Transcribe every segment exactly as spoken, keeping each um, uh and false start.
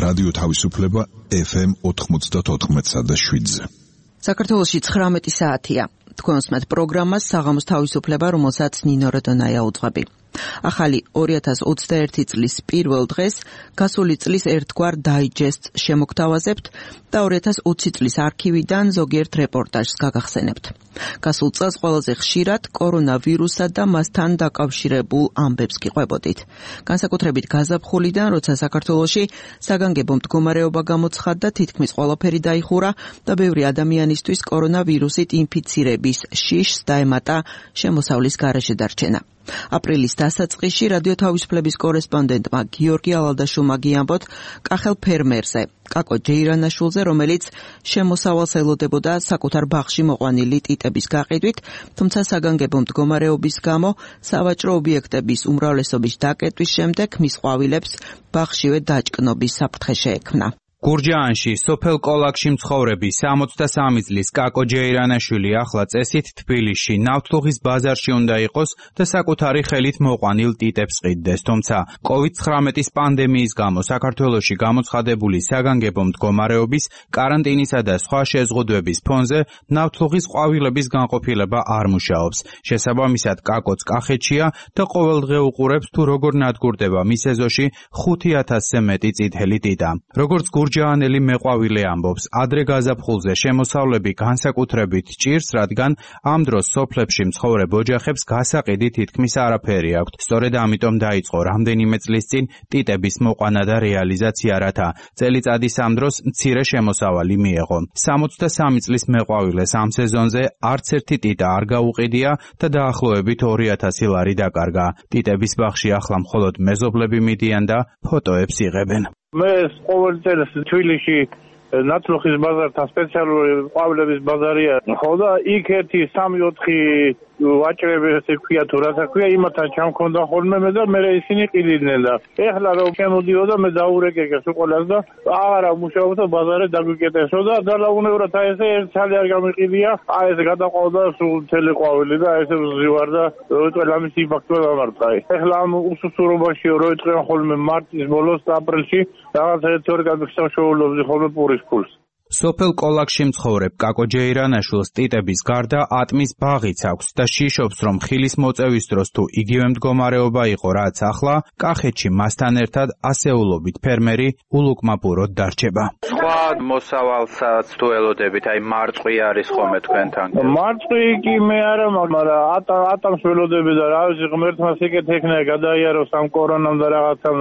რადიო თავისუფლება ეფ ემ ოთხმოცდაოთხ და შვიდზე. საქართველოში ცხრამეტი საათია. თქვენ უსმენთ პროგრამას საღამოს თავისუფლება, რომელსაც ნინო როდონაია უძღვები. ახალი ორი ათას ოცდაერთი წლის პირველ დღეს გასული წლის ერთგვარ დაიჯესტს შემოგთავაზებთ და ორი ათას ოცი წლის არქივიდან ზოგიერთ რეპორტაჟს გაგახსენებთ. გასულ წელს ყველაზე ხშირად კორონავირუსსა და მასთან დაკავშირებულ ამბებს გიყვებოდით. განსაკუთრებით გაზაფხულიდან, როცა საქართველოში საგანგებო მდგომარეობა გამოცხადდა, თითქმის ყველაფერი დაიხურა და ბევრი ადამიანისთვის კორონავირუსით ინფიცირების შიშს დაემატა შემოსავლის გარეშე დარჩენა. აპრილის დასაწყისში რადიო თავისუფლების კორესპონდენტმა გიორგი ალალდაშვილმა გიამბოთ კახელ ფერმერზე, კაკო ჯეირანაშვილზე, რომელიც შემოსავალს ელოდებოდა საკუთარ ბაღში მოყვანილი ტიტების გაყიდვით, თუმცა საგანგებო მდგომარეობის გამო სავაჭრო ობიექტების უმრავლესობის დაკეტვის შემდეგ მის ყვავილებს ბაღშივე დაჭკნობის საფრთხე შეექმნა. გურჯაანში, სოფელ კოლაქში მცხოვრები სამოცდასამი წლის კაკო ჯეირანაშვილი ახლა წესით თბილისში ნავთლუღის ბაზარში უნდა იყოს და საკუთარი ხელით მოყვანილ ტიტებს ყიდდეს, თუმცა კოვიდ ცხრამეტის პანდემიის გამო საქართველოში გამოცხადებული საგანგებო მდგომარეობის, კარანტინისა და სხვა შეზღუდვების ფონზე ნავთლუღის ყვავილების განყოფილება არ მუშაობს. შესაბამისად, კაკოც კახეთშია და ყოველდღე უყურებს თუ როგორ ნადგურდება მის ეზოში ხუთი ათასზე მეტი წითელი ტიტა. როგორც გურჯაანელი მეყვავილე ამბობს, ადრე გაზაფხულზე შემოსავლები განსაკუთრებით ჭირს, რადგან ამ დროს სოფლებში მცხოვრებ ოჯახებს გასაყიდი თითქმის არაფერი აქვთ. სწორედ ამიტომ დაიწყო რამდენიმე წლის წინ ტიტების მოყვანა და რეალიზაცია, რათა წელიწადის ამ დროს მცირე შემოსავალი მიეღო. სამოცდასამი წლის მეყვავილეს ამ სეზონზე არც ერთი ტიტა არ გაუყიდია და დაახლოებით ორი ათასი ლარი დაკარგა. ტიტების ბაღში ახლა მხოლოდ მეზობლები მიდიან და ფოტოებს იღებენ. მე ყოველ წელს თბილისში ნათლუღის ბაზართან სპეციალური ყვავილების ბაზარია. ხო და იქ ერთი სამი ოთხი ვაჭრები ესე ქვია თუ რა საქვია, იმათთან ჩამქონდა ხოლმე მე და მე ისინი ყიდნენ და ეხლა რომ შემოდიოდა მე დაურეკეკეს უყოლას და აღარა მუშაობდა ბაზარი დაგვიკეტესო და დალაუნევრად აი ესე ერთ ცალი არ გამიყიდია, აი ეს გადაყავდა სულ მთელი ყვავილი და ესე ვზივარ და როიტყვი ამის იმპაქტი დამარტყა. ეხლა ამ უსუსურობაში როიტყვი ხოლმე მარტის ბოლოს და აპრილში რაღაც ერთ ორი გამიხსოვს ხოლმე პურის ფულს. სოფელ კოლაქში მცხოვრებ კაკო ჯეირანაშვილს ტიტების გარდა ატმის ბაღიც აქვს და შიშობს, რომ ხილის მოწევის დროს თუ იგივე მდგომარეობა იყო, რაც ახლა, კახეთში მასთან ერთად ასეულობით ფერმერი ულუკმაპუროდ დარჩება. სხვა მოსავალსაც თუ ელოდებით, აი მარწყვი არის ხოლმე თქვენთან? მარწყვი კი მე არა, მაგრამ ატამს ველოდები და რა ვიცი, ღმერთმა სიკეთ ექნა გადაიაროს ამ კორონამ და რაღაცამ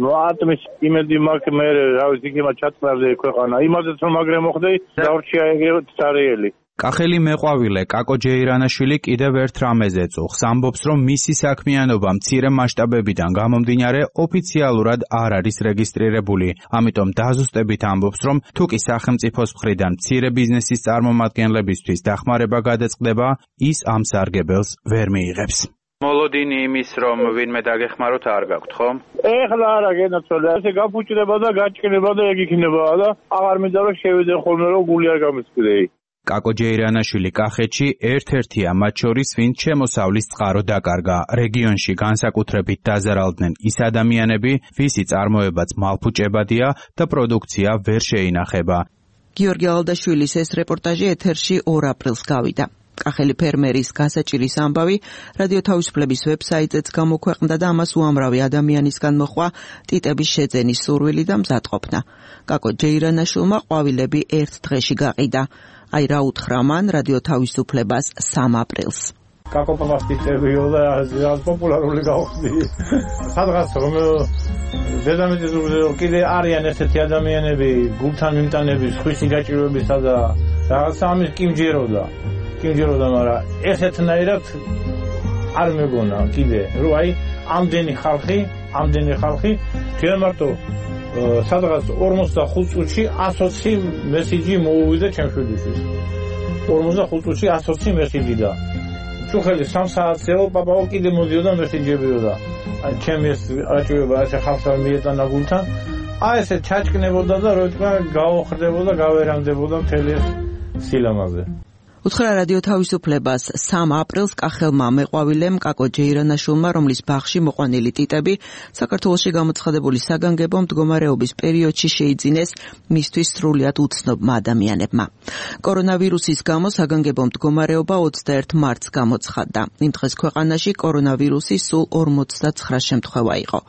ატმის იმედი მაქვს მე, რა ვიცი, იქება ჩატყნარზე ქვეყანა. იმაზეც რომ მაგრამ მოხდე დავრჩია ეგრეთ წარიელი. კახელი მეყვავილე კაკო ჯეირანაშვილი კიდევ ერთ რამეზე წუხს, ამბობს, რომ მისი საქმიანობა მცირე მასშტაბებიდან გამომდინარე ოფიციალურად არ არის რეგისტრირებული. ამიტომ დაზუსტებით ამბობს, რომ თუ კი სახელმწიფოს მხრიდან მცირე ბიზნესის წარმომადგენლებისთვის დახმარება გადაწყდება, ის ამ სარგებელს ვერ მიიღებს. მოლოდინი იმის, რომ ვინმე დაგეხმაროთ არ გაქვთ, ხო? ეხლა არა გენაცვალე, ესე გაფუჭდება და გაჭკნება და ეგ იქნება და აღარ მინდა რომ შევიდე ხოლმე რომ გული არ გამისკდეი. კაკო ჯეირანაშვილი კახეთში ერთ-ერთია მათ შორის, ვინც შემოსავლის წყარო დაკარგა. რეგიონში განსაკუთრებით დაზარალდნენ ის ადამიანები, ვისი წარმოებაც მალფუჭებადია და პროდუქცია ვერ შეინახება. გიორგი ალალდაშვილის ეს რეპორტაჟი ეთერში ორ აპრილს გავიდა. კახელი ფერმერის გასაჭირის ამბავი რადიო თავისუფლების ვებსაიტზეც გამოქვეყნდა და ამას უამრავი ადამიანისგან მოჰყვა ტიტების შეძენის სურვილი და მზადყოფნა. კაკო ჯეირანაშვილმა ყვავილები ერთ დღეში გაყიდა. აი რა უთხრა მან რადიო თავისუფლებას სამ აპრილს. კაკო პაპას ტიტებიო და რაღაც პოპულარული გავხდი. სადღაც რომ დედამიწის ზურგზე კიდე არიან ესეთი ადამიანები, გულთან მიმტანები, სხვისი გაჭირვებისა და რაღაც ამის კი მჯეროდა. კიდევ მაგრამ ესეთნაირად არ მეგონა კიდე რომ აი ამდენი ხალხი ამდენი ხალხი ჩვენ მარტო სადღაც ორმოცდახუთ წუთში ასი ოცი მესიჯი მოუვიდა ჩემს შვილიშვილს. ორმოცდახუთ წუთში ასი ოცი მესიჯი და ჩუხელი სამ საათზეო პაპაო კიდე მოდიოდა მესიჯებიოდა. აი ჩემი ეს აჭირება ესე ხალხთან მიეტანა გულთან. აი ესე ჩაჭკნებოდა და როიტყვა გაოხრდებოდა, გავერანდებოდა მთელი სილამაზე. უთხრა რადიო თავისუფლებას სამ აპრილს კახელმა მეყვავილემ კაკო ჯეირანაშვილმა, რომლის ბაღში მოყვანილი ტიტები საქართველოში გამოცხადებული საგანგებო მდგომარეობის პერიოდში შეიძინეს მისთვის სრულიად უცნობმა ადამიანებმა. კორონავირუსის გამო საგანგებო მდგომარეობა ოცდაერთ მარტს გამოცხადდა. იმ დღეს ქვეყანაში კორონავირუსის სულ ორმოცდაცხრა შემთხვევა იყო.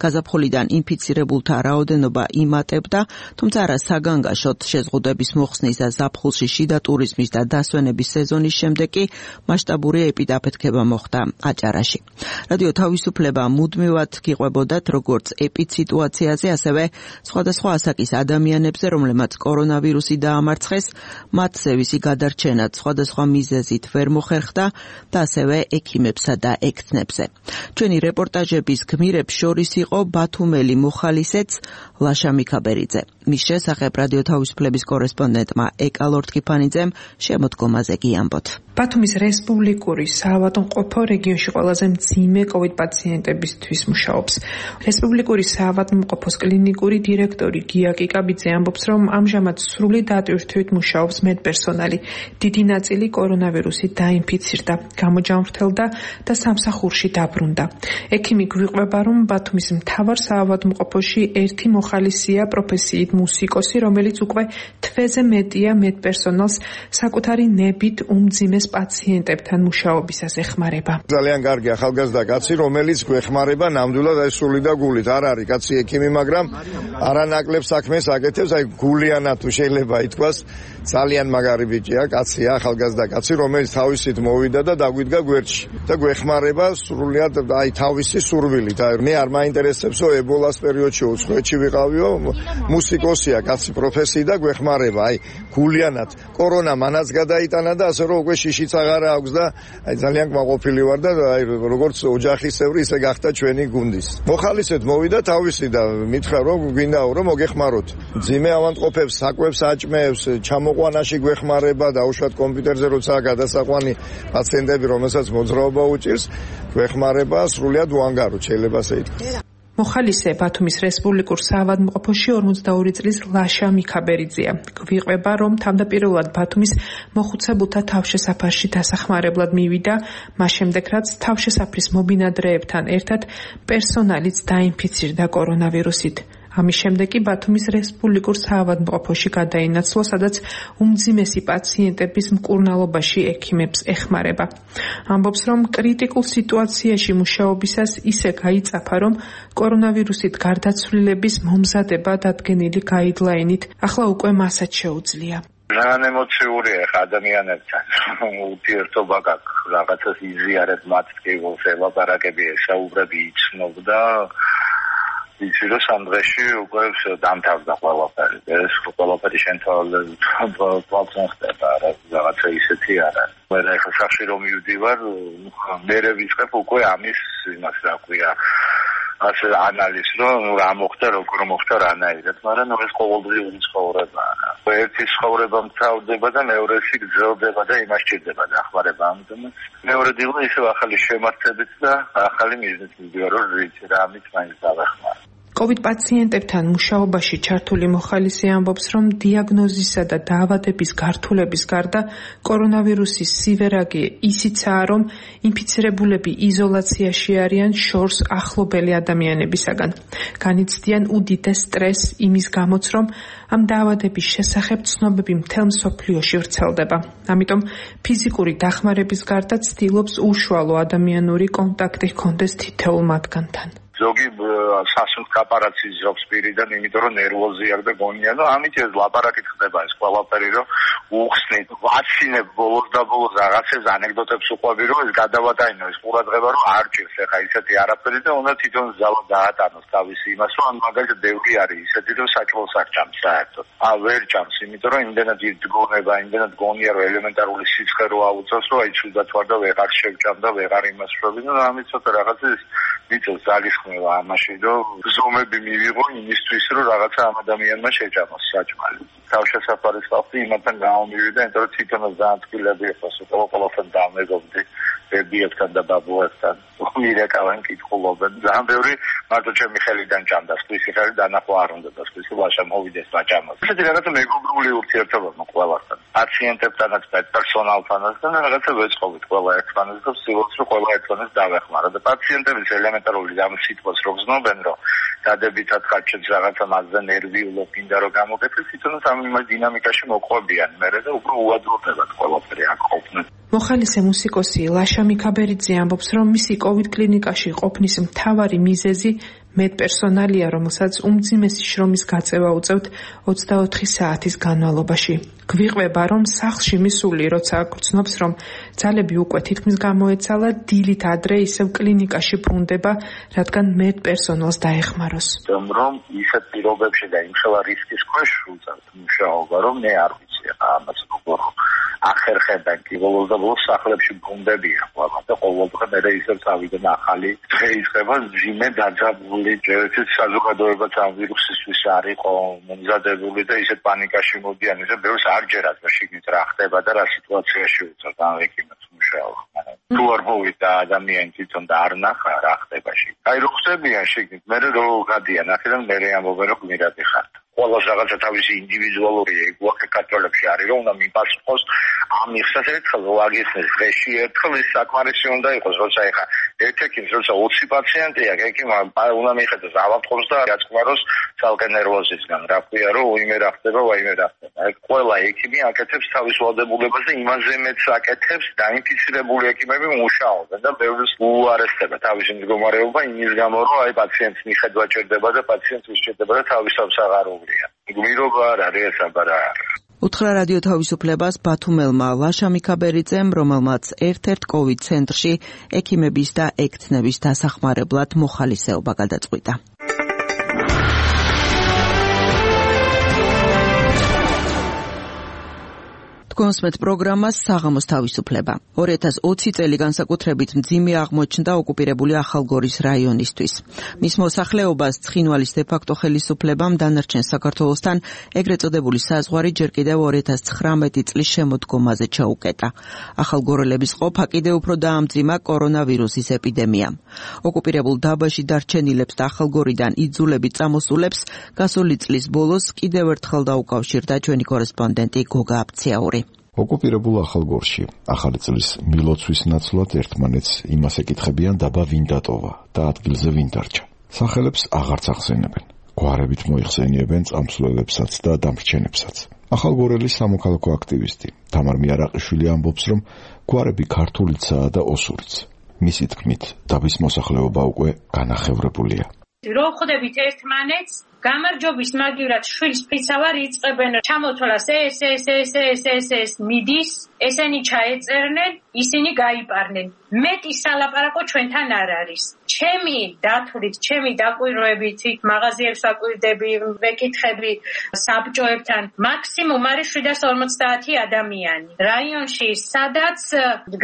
გაზაფხულიდან ინფიცირებულთა რაოდენობა იმატებდა, თუმცა არა საგანგაშოდ შეზღუდვების მოხსნის და ზაფხულში შიდა ტურიზმის და დასვენების სეზონის შემდეგ კი მასშტაბური ეპიდაფეთქება მოხდა აჭარაში. რადიო თავისუფლება მუდმივად გიყვებოდათ როგორც ეპიდსიტუაციაზე, ასევე სხვადასხვა ასაკის ადამიანებზე, რომლებმაც კორონავირუსი დაამარცხეს, მათზე ვისი გადარჩენად სხვადასხვა მიზეზით ვერ მოხერხდა და ასევე ექიმებსა და ექთნებზე. ჩვენი რეპორტაჟების გმირებს შორის იყო ბათუმელი მოხალისეც ლაშა მიქაბერიძე. მის შესახებ რადიო თავისუფლების კორესპონდენტმა ეკა ლორთქიფანიძემ შემოდგომაზე გიამბოთ. ბათუმის რესპუბლიკური საავადმყოფო რეგიონში ყველაზე მძიმე კოვიდ პაციენტებისთვის მუშაობს. რესპუბლიკური საავადმყოფოს კლინიკური დირექტორი გია კიკაბიძე ამბობს, რომ ამჟამად სრული დატვირთვით მუშაობს მედპერსონალი. დიდი ნაწილი კორონავირუსით დაინფიცირდა, გამოჯანმრთელდა და სამსახურში დაბრუნდა. ექიმი გვიყვება, რომ ბათუმის მთავარ საავადმყოფოში ერთი მოხალისეა პროფესიით მუსიკოსი, რომელიც უკვე თვეზე მეტია მედპერსონალს საკუთარი ნებით უმძიმეს პაციენტებთან მუშაობისას ეხმარება. ძალიან კარგი ახალგაზრდა კაცი, რომელიც გვეხმარება ნამდვილად აი სული და გულით. არ არის კაცი ექიმი, მაგრამ არანაკლებ საქმეს აკეთებს, აი გულიანად თუ შეიძლება ითქვას, ძალიან მაგარი ბიჭია, კაცია, ახალგაზრდა კაცი, რომელიც თავისით მოვიდა და დაგვიდგა გვერდში და გვეხმარება სრულიად აი თავისი სურვილით. აი მე არ მაინტერესებსო ებოლას პერიოდში უცხოეთში ვიყავიო, მუსიკოსია კაცი პროფესიით და გვეხმარება აი გულიანად. კორონა მანაც გადაიტანა და ასე რომ უკვე შიშიც აღარ აქვს და აი ძალიან კმაყოფილი ვარ და აი როგორც ოჯახისებრი ისე გახდა ჩვენი გუნდის. მოხალისეთ მოვიდა თავისი და მითხრა რომ გვინდაო რომ მოგეხმაროთ. ძიმე ავადმყოფებს, საკვებს, აჭმეებს, ჩამოყვანაში გვეხმარება და უშუალოდ კომპიუტერზე როცა გადასაყვანი პაციენტები, რომელსაც მოძრაობა უჭირს, გვეხმარება სრულიად უანგაროდ, შეიძლება ასე ითქვას. მოხალისე ბათუმის რესპუბლიკურ საავადმყოფოში ორმოცდაორი წლის ლაშა მიქაბერიძეა. გვიყვება, რომ თავდაპირველად ბათუმის მოხუცებულთა თავშესაფარში დასახმარებლად მივიდა, მას შემდეგ რაც თავშესაფრის მობინადრეებთან ერთად პერსონალიც დაინფიცირდა კორონავირუსით. ამის შემდეგ კი ბათუმის რესპუბლიკურ საავადმყოფოში გადაინაცვლა, სადაც უმძიმესი პაციენტების მკურნალობაში ექიმებს ეხმარება. ამბობს, რომ კრიტიკულ სიტუაციაში მუშაობისას ისე გაიწაფა, რომ კორონავირუსით გარდაცვლილების მომზადება დადგენილი გაიდლაინით ახლა უკვე მასაც შეუძლია. ძალიან ემოციურია ხა ადამიანებთან. ურთიერთობა გაქვს, რაღაცას იზიარებ მათ კიბულს ელაპარაკები, ესაუბრები იცნობდა. იცი რომ სამ დღეში უკვე დამთავრდა ყველაფერი. ეს ყველაფერი შენ თვალწინ ხდება, რაღაცა ისეთი არა. მე ახლა სახში რომ მივდივარ, მე ვიწყებ უკვე ამის იმას რა ქვია, ასე ანალიზს, რომ რა მოხდა, როგორ მოხდა რანაირად, მაგრამ ეს ყოველდღიური ცხოვრებაა. ერთი ცხოვრება მთავრდება და მეორესი გრძელდება და იმას ჭირდება დახმარება ამიტომ. მეორე დილა ისევ ახალი შემართებით და ახალი მიზნით მივდივარ, რომ ვიცი რა ამით მაინც დავეხმარო. კოვიდ პაციენტებთან მუშაობაში ჩართული მოხალისე ამბობს, რომ დიაგნოზისა და დაავადების გართულების გარდა კორონავირუსის სივერაგი ისიცაა, რომ ინფიცირებულები იზოლაციაში არიან შორს ახლობელი ადამიანებისაგან. განიცდიან უდიდეს სტრესს იმის გამოც, რომ ამ დაავადების შესახებ ცნობები მთელ მსოფლიოში ვრცელდება. ამიტომ ფიზიკური დახმარების გარდა ცდილობს უშუალო ადამიანური კონტაქტი ჰქონდეს თითოეულ მათგანთან. ზოგი სასუნთ კაპარაც იზრობს პირიდან, იმიტომ რომ ნერვოზი აქვს და გონია და ამით ეს ლაპარაკით ხდება ეს ყველაფერი, რომ უხსნით, ვაცინებ ბოლოს და ბოლოს რაღაცებს ანეკდოტებს უყვები, რომ ეს გადავატაინო, ეს ყურადღება რომ არ ჭირს ახლა ისეთი არაფერი და უნდა თვითონ ზავა დაატანოს თავისი იმას, რომ ან მაგალითად ბევრი არის ისეთი, რომ საჭმელს არ ჭამს საერთოდ. ა ვერ ჭამს, იმიტომ რომ იმდენად იძგონება, იმდენად გონია, რომ ელემენტარული სიცხე რო აუწევს, რომ აი ცუდად ვარ და ვეღარ შევჭამ და ვეღარ იმას შევები და ამით ცოტა რაღაცას მიწევს ძალის ამაში რომ ზომები მივიღო იმისთვის რომ რაღაცა ამ ადამიანმა შეჭამოს საჭმელი. თავშესაფარის ხალხი იმათთან გამომივიდა, იმიტომ რომ თვითონაც ძალიან თბილები იყო, სულ ყველაფერთან დამეგობდი ბებიებთან და ბაბუებთან. მირეკავენ კითხულობენ. ძალიან ბევრი მარტო ჩემი ხელიდან ჭამდა, სხვისი ხელი დანახვა არ უნდა და სხვისი ლაშა მოვიდეს ვაჭამოს. ესეთი რაღაცა მეგობრული ურთიერთობა ყველასთან. პაციენტებთანაც და პერსონალთანაც და რაღაცა ვეწყობით ყველა ერთმანეთს და ვცდილობთ რომ ყველა ერთმანეთს დავეხმარა და პაციენტების ელემენტარული ამ სიტყვას რო გზნობენ რომ დადებითად ხარჯებს რაღაცა მასზე ნერვიულო კიდე რომ გამოგეცეს თვითონაც ამ დინამიკაში მოყვებიან მერე და უფრო უადროდებათ ყველაფერი აქ ყოფნა. მოხალისე მუსიკოსი ლაშა მიქაბერიძე ამბობს, რომ მისი კოვიდ კლინიკაში ყოფნის მთავარი მიზეზი მედპერსონალია, რომელსაც უმძიმესი შრომის გაწევა უწევთ ოცდაოთხი საათის განმავლობაში. გვიყვება, რომ სახლში მისული, როცა გრძნობს, რომ ძალები უკვე თითქმის გამოეცალა, დილით ადრე ისევ კლინიკაში ბრუნდება, რადგან მედპერსონალს დაეხმაროს. რომ ისეთ პირობებში და იმხელა რისკის ქვეშ უწევთ მუშაობა, რომ მე არ ვიცი ამას როგორ ახერხებენ კი ბოლოს და ბოლოს სახლებში ბრუნდებიან ყველა და ყოველდღე მე ისევ წავიდნენ ახალი დღეისება ძიმე დაძაბული ჯერჯერობით საზოგადოებაც ამ ვირუსისთვის არ იყო მომზადებული და ისეთ პანიკაში მოდიან ისე ბევრს არ ჯერათ რომ შიგნით რა ხდება და რა სიტუაციაში უწევთ ამ ეკიმებს მუშაობა. თუ არ მოვიდა ადამიანი თვითონ და არ ნახა რა ხდებაში. აი რო ხდებიან შიგნით მე რო გადიან აქედან მე ამბობენ რომ გმირადი ხართ. ყველას რაღაცა თავისი ინდივიდუალური ეგვაქე კატოლებში არის რომ უნდა მიპასუხოს ამ იხსას ერთხელ ვაგიხსნეს დღეში ერთხელ ის საკმარისი უნდა იყოს როცა ეხა ერთ-ერთი როცა ოცი პაციენტია ეკიმა უნდა მიხედოს ავადმყოფს და გაწყმაროს ცალკე ნერვოზისგან რა ქვია რომ უიმე რა ხდება ვაიმე რა ხდება აი ყველა ეკიმი აკეთებს თავის ვალდებულებას და იმაზე მეც აკეთებს დაინფიცირებული ეკიმები მუშაობენ და ბევრს უარესდება თავისი მდგომარეობა იმის გამო რომ აი პაციენტს მიხედვა ჭირდება და პაციენტს უსჭირდება და თავისავს აღარ გმირობა არ არის საბარა. უთხრა რადიო თავისუფლებას ბათუმელმა ლაშა მიქაბერიძემ, რომელმაც ერთ-ერთ კოვიდ ცენტრში ექიმების და ექთნების დასახმარებლად მოხალისეობა გადაწყვიტა. კონსმეთ პროგრამას საღამოს თავისუფლება. ორი ათას ოცი წელი განსაკუთრებით მძიმე აღმოჩნდა ოკუპირებული ახალგორის რაიონისთვის. მის მოსახლეობას ცხინვალის დე-ფაქტო ხელისუფლებამ დანარჩენ საქართველოსთან ეგრეთ წოდებული საზღვარი ჯერ კიდევ ორი ათას ცხრამეტი წლის შემოდგომაზე ჩაუკეტა. ახალგორელების ყოფა კიდევ უფრო დაამძიმა კორონავირუსის ეპიდემიამ. ოკუპირებულ დაბაში დარჩენილებს და ახალგორიდან იძულებით წამოსულებს გასული წლის ბოლოს კიდევ ერთხელ დაუკავშირდა ჩვენი კორესპონდენტი გოგა აფციაური. ოკუპირებულ ახალგორში ახალი წლის მილოცვის ნაცვლად ერთმანეთს იმას ეკითხებიან დაბა ვინ დატოვა და ადგილზე ვინ დარჩა. სახელებს აღარც ახსენებენ. გვარებით მოიხსენიებენ წამსვლელებსაც და დამრჩენებსაც. ახალგორელი სამოქალაქო აქტივისტი თამარ მიარაყიშვილი ამბობს, რომ გვარები ქართულიცაა და ოსურიც. მისი თქმით, დაბის მოსახლეობა უკვე განახევრებულია. რო ხვდებით ერთმანეთს გამარჯობის მაგივრად შვილს ფიცავარ იწყებენ ჩამოთვალას ეს ეს ეს ეს ეს ეს მიდის ესენი ჩაეწერნენ ისინი გაიპარნენ მეტი სალაპარაკო ჩვენთან არ არის ჩემი დათვლით ჩემი დაკვირვებით მაღაზიებს ვაკვირდები ვეკითხები საბჭოებთან მაქსიმუმ არის შვიდას ორმოცდაათი ადამიანი რაიონში სადაც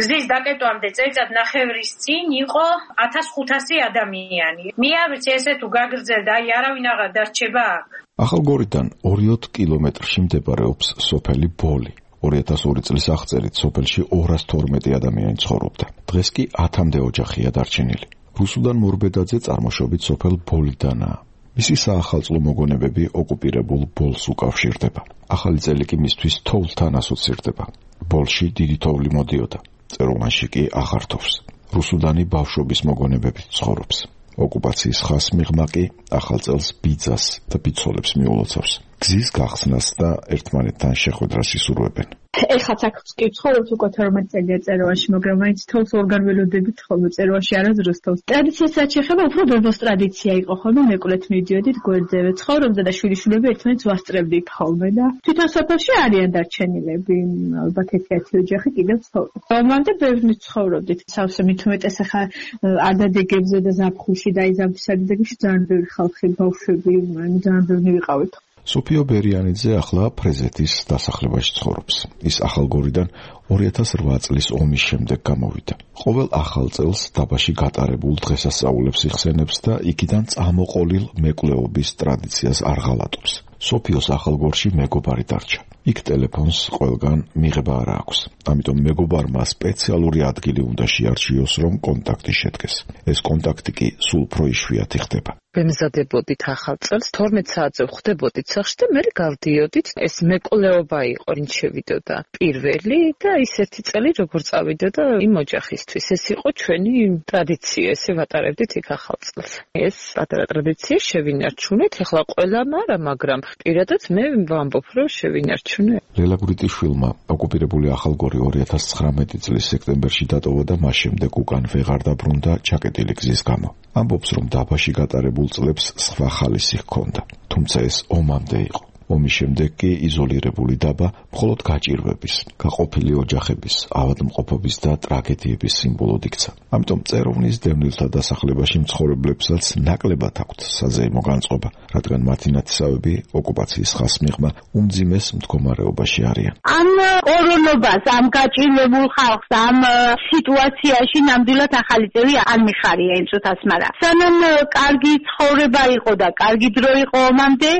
გზის დაკეტვამდე წელიწად ნახევრის წინ იყო ათას ხუთასი ადამიანი მე არ ვიცი ესე თუ გაგრძელდა აი არავინ აღარ დარჩება აქ ახალგორიდან ორი კილომეტრში მდებარეობს სოფელი ბოლი. ორი ათას ორი წლის აღწერით სოფელში ორას თორმეტი ადამიანი ცხოვრობდა. დღეს კი ათამდე ოჯახია დარჩენილი. რუსუდან მორბედაძე წარმოშობით სოფელ ბოლიდანაა. მისი საახალწლო მოგონებები ოკუპირებულ ბოლს უკავშირდება. ახალი წელი კი მისთვის თოვლთან ასოცირდება. ბოლში დიდი თოვლი მოდიოდა. წერილმანში კი აღარ თოვს. რუსუდანი ბავშვობის მოგონებებით ცხოვრობს. ოკუპაციის ხას მიღმა კი ახალ წელს ბიძას და ბიცოლებს მიულოცავს. გზის გახსნას და ერთმანეთთან შეხვედრას ისურვებენ. ეხლა აქ კი ვცხოვრობთ უკვე თორმეტ წელია წერილში, მაგრამ მაინც თავს ორგან ველოდებით ხოლმე წერილში არასდროს თავს. ტრადიციასაც შეხება უფრო ბებოს ტრადიცია იყო ხოლმე, მეკვლეთ მიდიოდით გვერდზე, ცხოვრობდა და შვილიშვილები ერთმანეთს ვასწრებდით ხოლმე და თვითონ სოფელში არიან დარჩენილები, ალბათ ერთ-ერთი ოჯახი კიდევ ცხოვრობს. რომამდე ბევრი ცხოვრობდით. სავსე მით უმეტეს ახლა ადადეგებზე და ზაფხულში და აი ზამთრსადიდებში ძალიან ბევრი ხალხი, ბავშვები, ძალიან ბევრი ვიყავით. სოფიო ბერიანიძე ახლა ფრეზეთის დასახლებაში ცხოვრობს. ის ახალგორიდან ორი ათას რვა წლის ომის შემდეგ გამოვიდა. ყოველ ახალ წელს დაბაში გატარებულ დღესასწაულებს იხსენებს და იქიდან წამოყოლილ მეკვლეობის ტრადიციას არ ღალატობს. სოფიოს ახალგორში მეგობარი დარჩა. იქ ტელეფონს ყველგან მიღება არ აქვს. ამიტომ მეგობარმა სპეციალური ადგილი უნდა შეარჩიოს, რომ კონტაქტი შედგეს. ეს კონტაქტი კი სულ უფრო იშვიათი ხდება. ვემზადებოდით ახალ წელს, თორმეტ საათზე ვხვდებოდით სახლში და მე გავდიოდით. ეს მეკვლეობა იყო, ვინც შევიდოდა პირველი და ის ერთი წელი როგორ წავიდოდა იმ ოჯახისთვის. ეს იყო ჩვენი ტრადიცია, ესე ვატარებდით იქ ახალ წელს. ეს პატარა ტრადიცია შევინარჩუნეთ, ეხლა ყველამ არა, მაგრამ პირადად მე ვამბობ, რომ შევინარჩუნე. ლელა გვრიტიშვილმა ოკუპირებული ახალგორი ორი ათას ცხრამეტი წლის სექტემბერში დატოვა და მას შემდეგ უკან ვეღარ დაბრუნდა ჩაკეტილი გზის გამო. ამბობს, რომ დაბაში გატარებულ წლებს სხვა ხალისი ჰქონდა, თუმცა ეს ომამდე იყო. ომის შემდეგ კი იზოლირებული დაბა მხოლოდ გაჭირვების, გაყოფილი ოჯახების, ავადმყოფობის და ტრაგედიების სიმბოლოდ იქცა. ამიტომ წეროვნის დევნილთა დასახლებაში მცხოვრებლებსაც ნაკლებად აქვთ საზეიმო განწყობა, რადგან მათი ნათესავები ოკუპაციის ხასმიღმა უმძიმეს მდგომარეობაში არიან. ამ კორონობას, ამ გაჭირვებულ ხალხს, ამ სიტუაციაში ნამდვილად ახალი წელი არ მიხარია იმ წუთას, მაგრამ სანამ კარგი ცხოვრება იყო და კარგი დრო იყო ომამდე,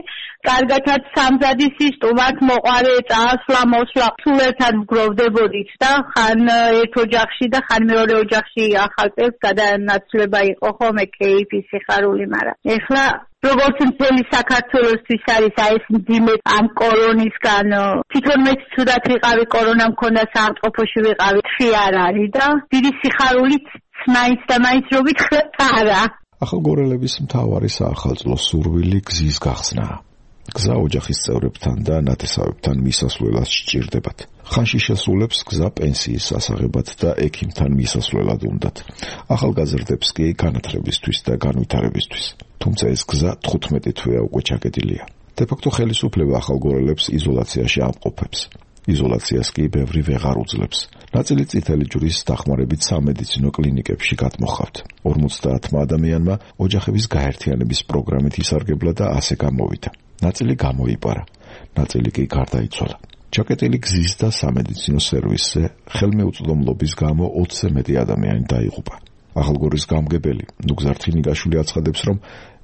კარგათაც სამზადისი სტუმართ მოყარე წასვლა მოსვლა სულ ერთად ვგროვდებოდით და ხან ერთ ოჯახში და ხან მეორე ოჯახში ახალ წელს გადანაცვლება იყო ხოლმე კეიფი სიხარული, მაგრამ ეხლა როგორც მთელი საქართველოსთვის არის აი ეს მძიმე ამ კორონისგან თვითონ მეც ცუდად ვიყავი, კორონა მქონდა, საავადმყოფოში ვიყავი, თვი არ არის და დიდი სიხარულით მაინც და მაინც რო ვითხრათ არა. ახალგორელების მთავარი საახალწლო სურვილი გზის გახსნაა. გზა ოჯახის წევრებთან და ნათესავებთან მისასვლელად სჭირდებათ. ხანში შესრულებს გზა პენსიის სასაღებად და ექიმთან მისასვლელად უნდათ. ახალგაზრდებს კი განათლებისთვის და განვითარებისთვის. თუმცა ეს გზა თხუთმეტი თვეა უკვე ჩაკეტილია. დე-ფაქტო ხელისუფლება ახალგორელებს იზოლაციაში ამყოფებს. იზოლაციას კი ბევრი ვეღარ უძლებს. ნაწილი წითელი ჯვრის დახმარებით სამედიცინო კლინიკებში გადმოხავთ. ორმოცდაათმა ადამიანმა ოჯახების გაერთიანების პროგრამით ისარგებლა და ასე გამოვიდა. ნაწილი გამოიპარა, ნაწილი კი გარდაიცვალა. ჩაკეტილი გზის და სამედიცინო სერვისზე ხელმეუწვდომლობის გამო ოცზე მეტი ადამიანი დაიღუპა. ახალგორის გამგებელი ნუგზარ თინიგაშვილი აცხადებს, რომ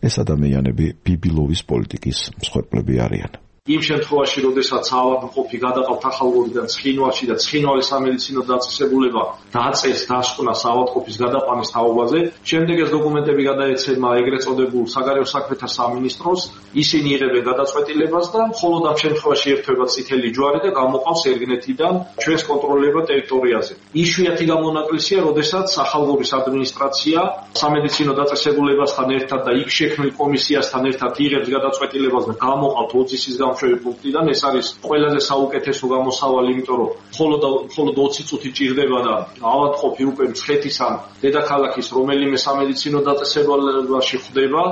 ეს ადამიანები ბიბილოვის პოლიტიკის მსხვერპლები არიან. იმ შემთხვევაში, როდესაც ავადმყოფი გადაყავთ ახალგორიდან ცხინვალში და ცხინვალის სამედიცინო დაწესებულება დაწეს დასკვნას ავადმყოფის გადაყვანის თაობაზე, შემდეგ ეს დოკუმენტები გადაეცემა ეგრეთ წოდებულ საგარეო საქმეთა სამინისტროს, ისინი იღებენ გადაწყვეტილებას და მხოლოდ ამ შემთხვევაში ერთვება წითელი ჯვარი და გამოყავს ერგნეთიდან ჩვენს კონტროლირებად ტერიტორიაზე. იშვიათი გამონაკლისია, როდესაც ახალგორის ადმინისტრაცია სამედიცინო დაწესებულებასთან ერთად და იქ შექმნილ კომისიასთან ერთად იღებს გადაწყვეტილებას და გამოყავთ ოძისის პუნქტიდან. ეს არის ყველაზე საუკეთესო გამოსავალი, იმიტომ რომ მხოლოდ მხოლოდ ოცი წუთი ჭირდება და ავადმყოფი უკვე მცხეთის ან დედაქალაქის რომელიმე სამედიცინო დაწესებულებაში ხვდება.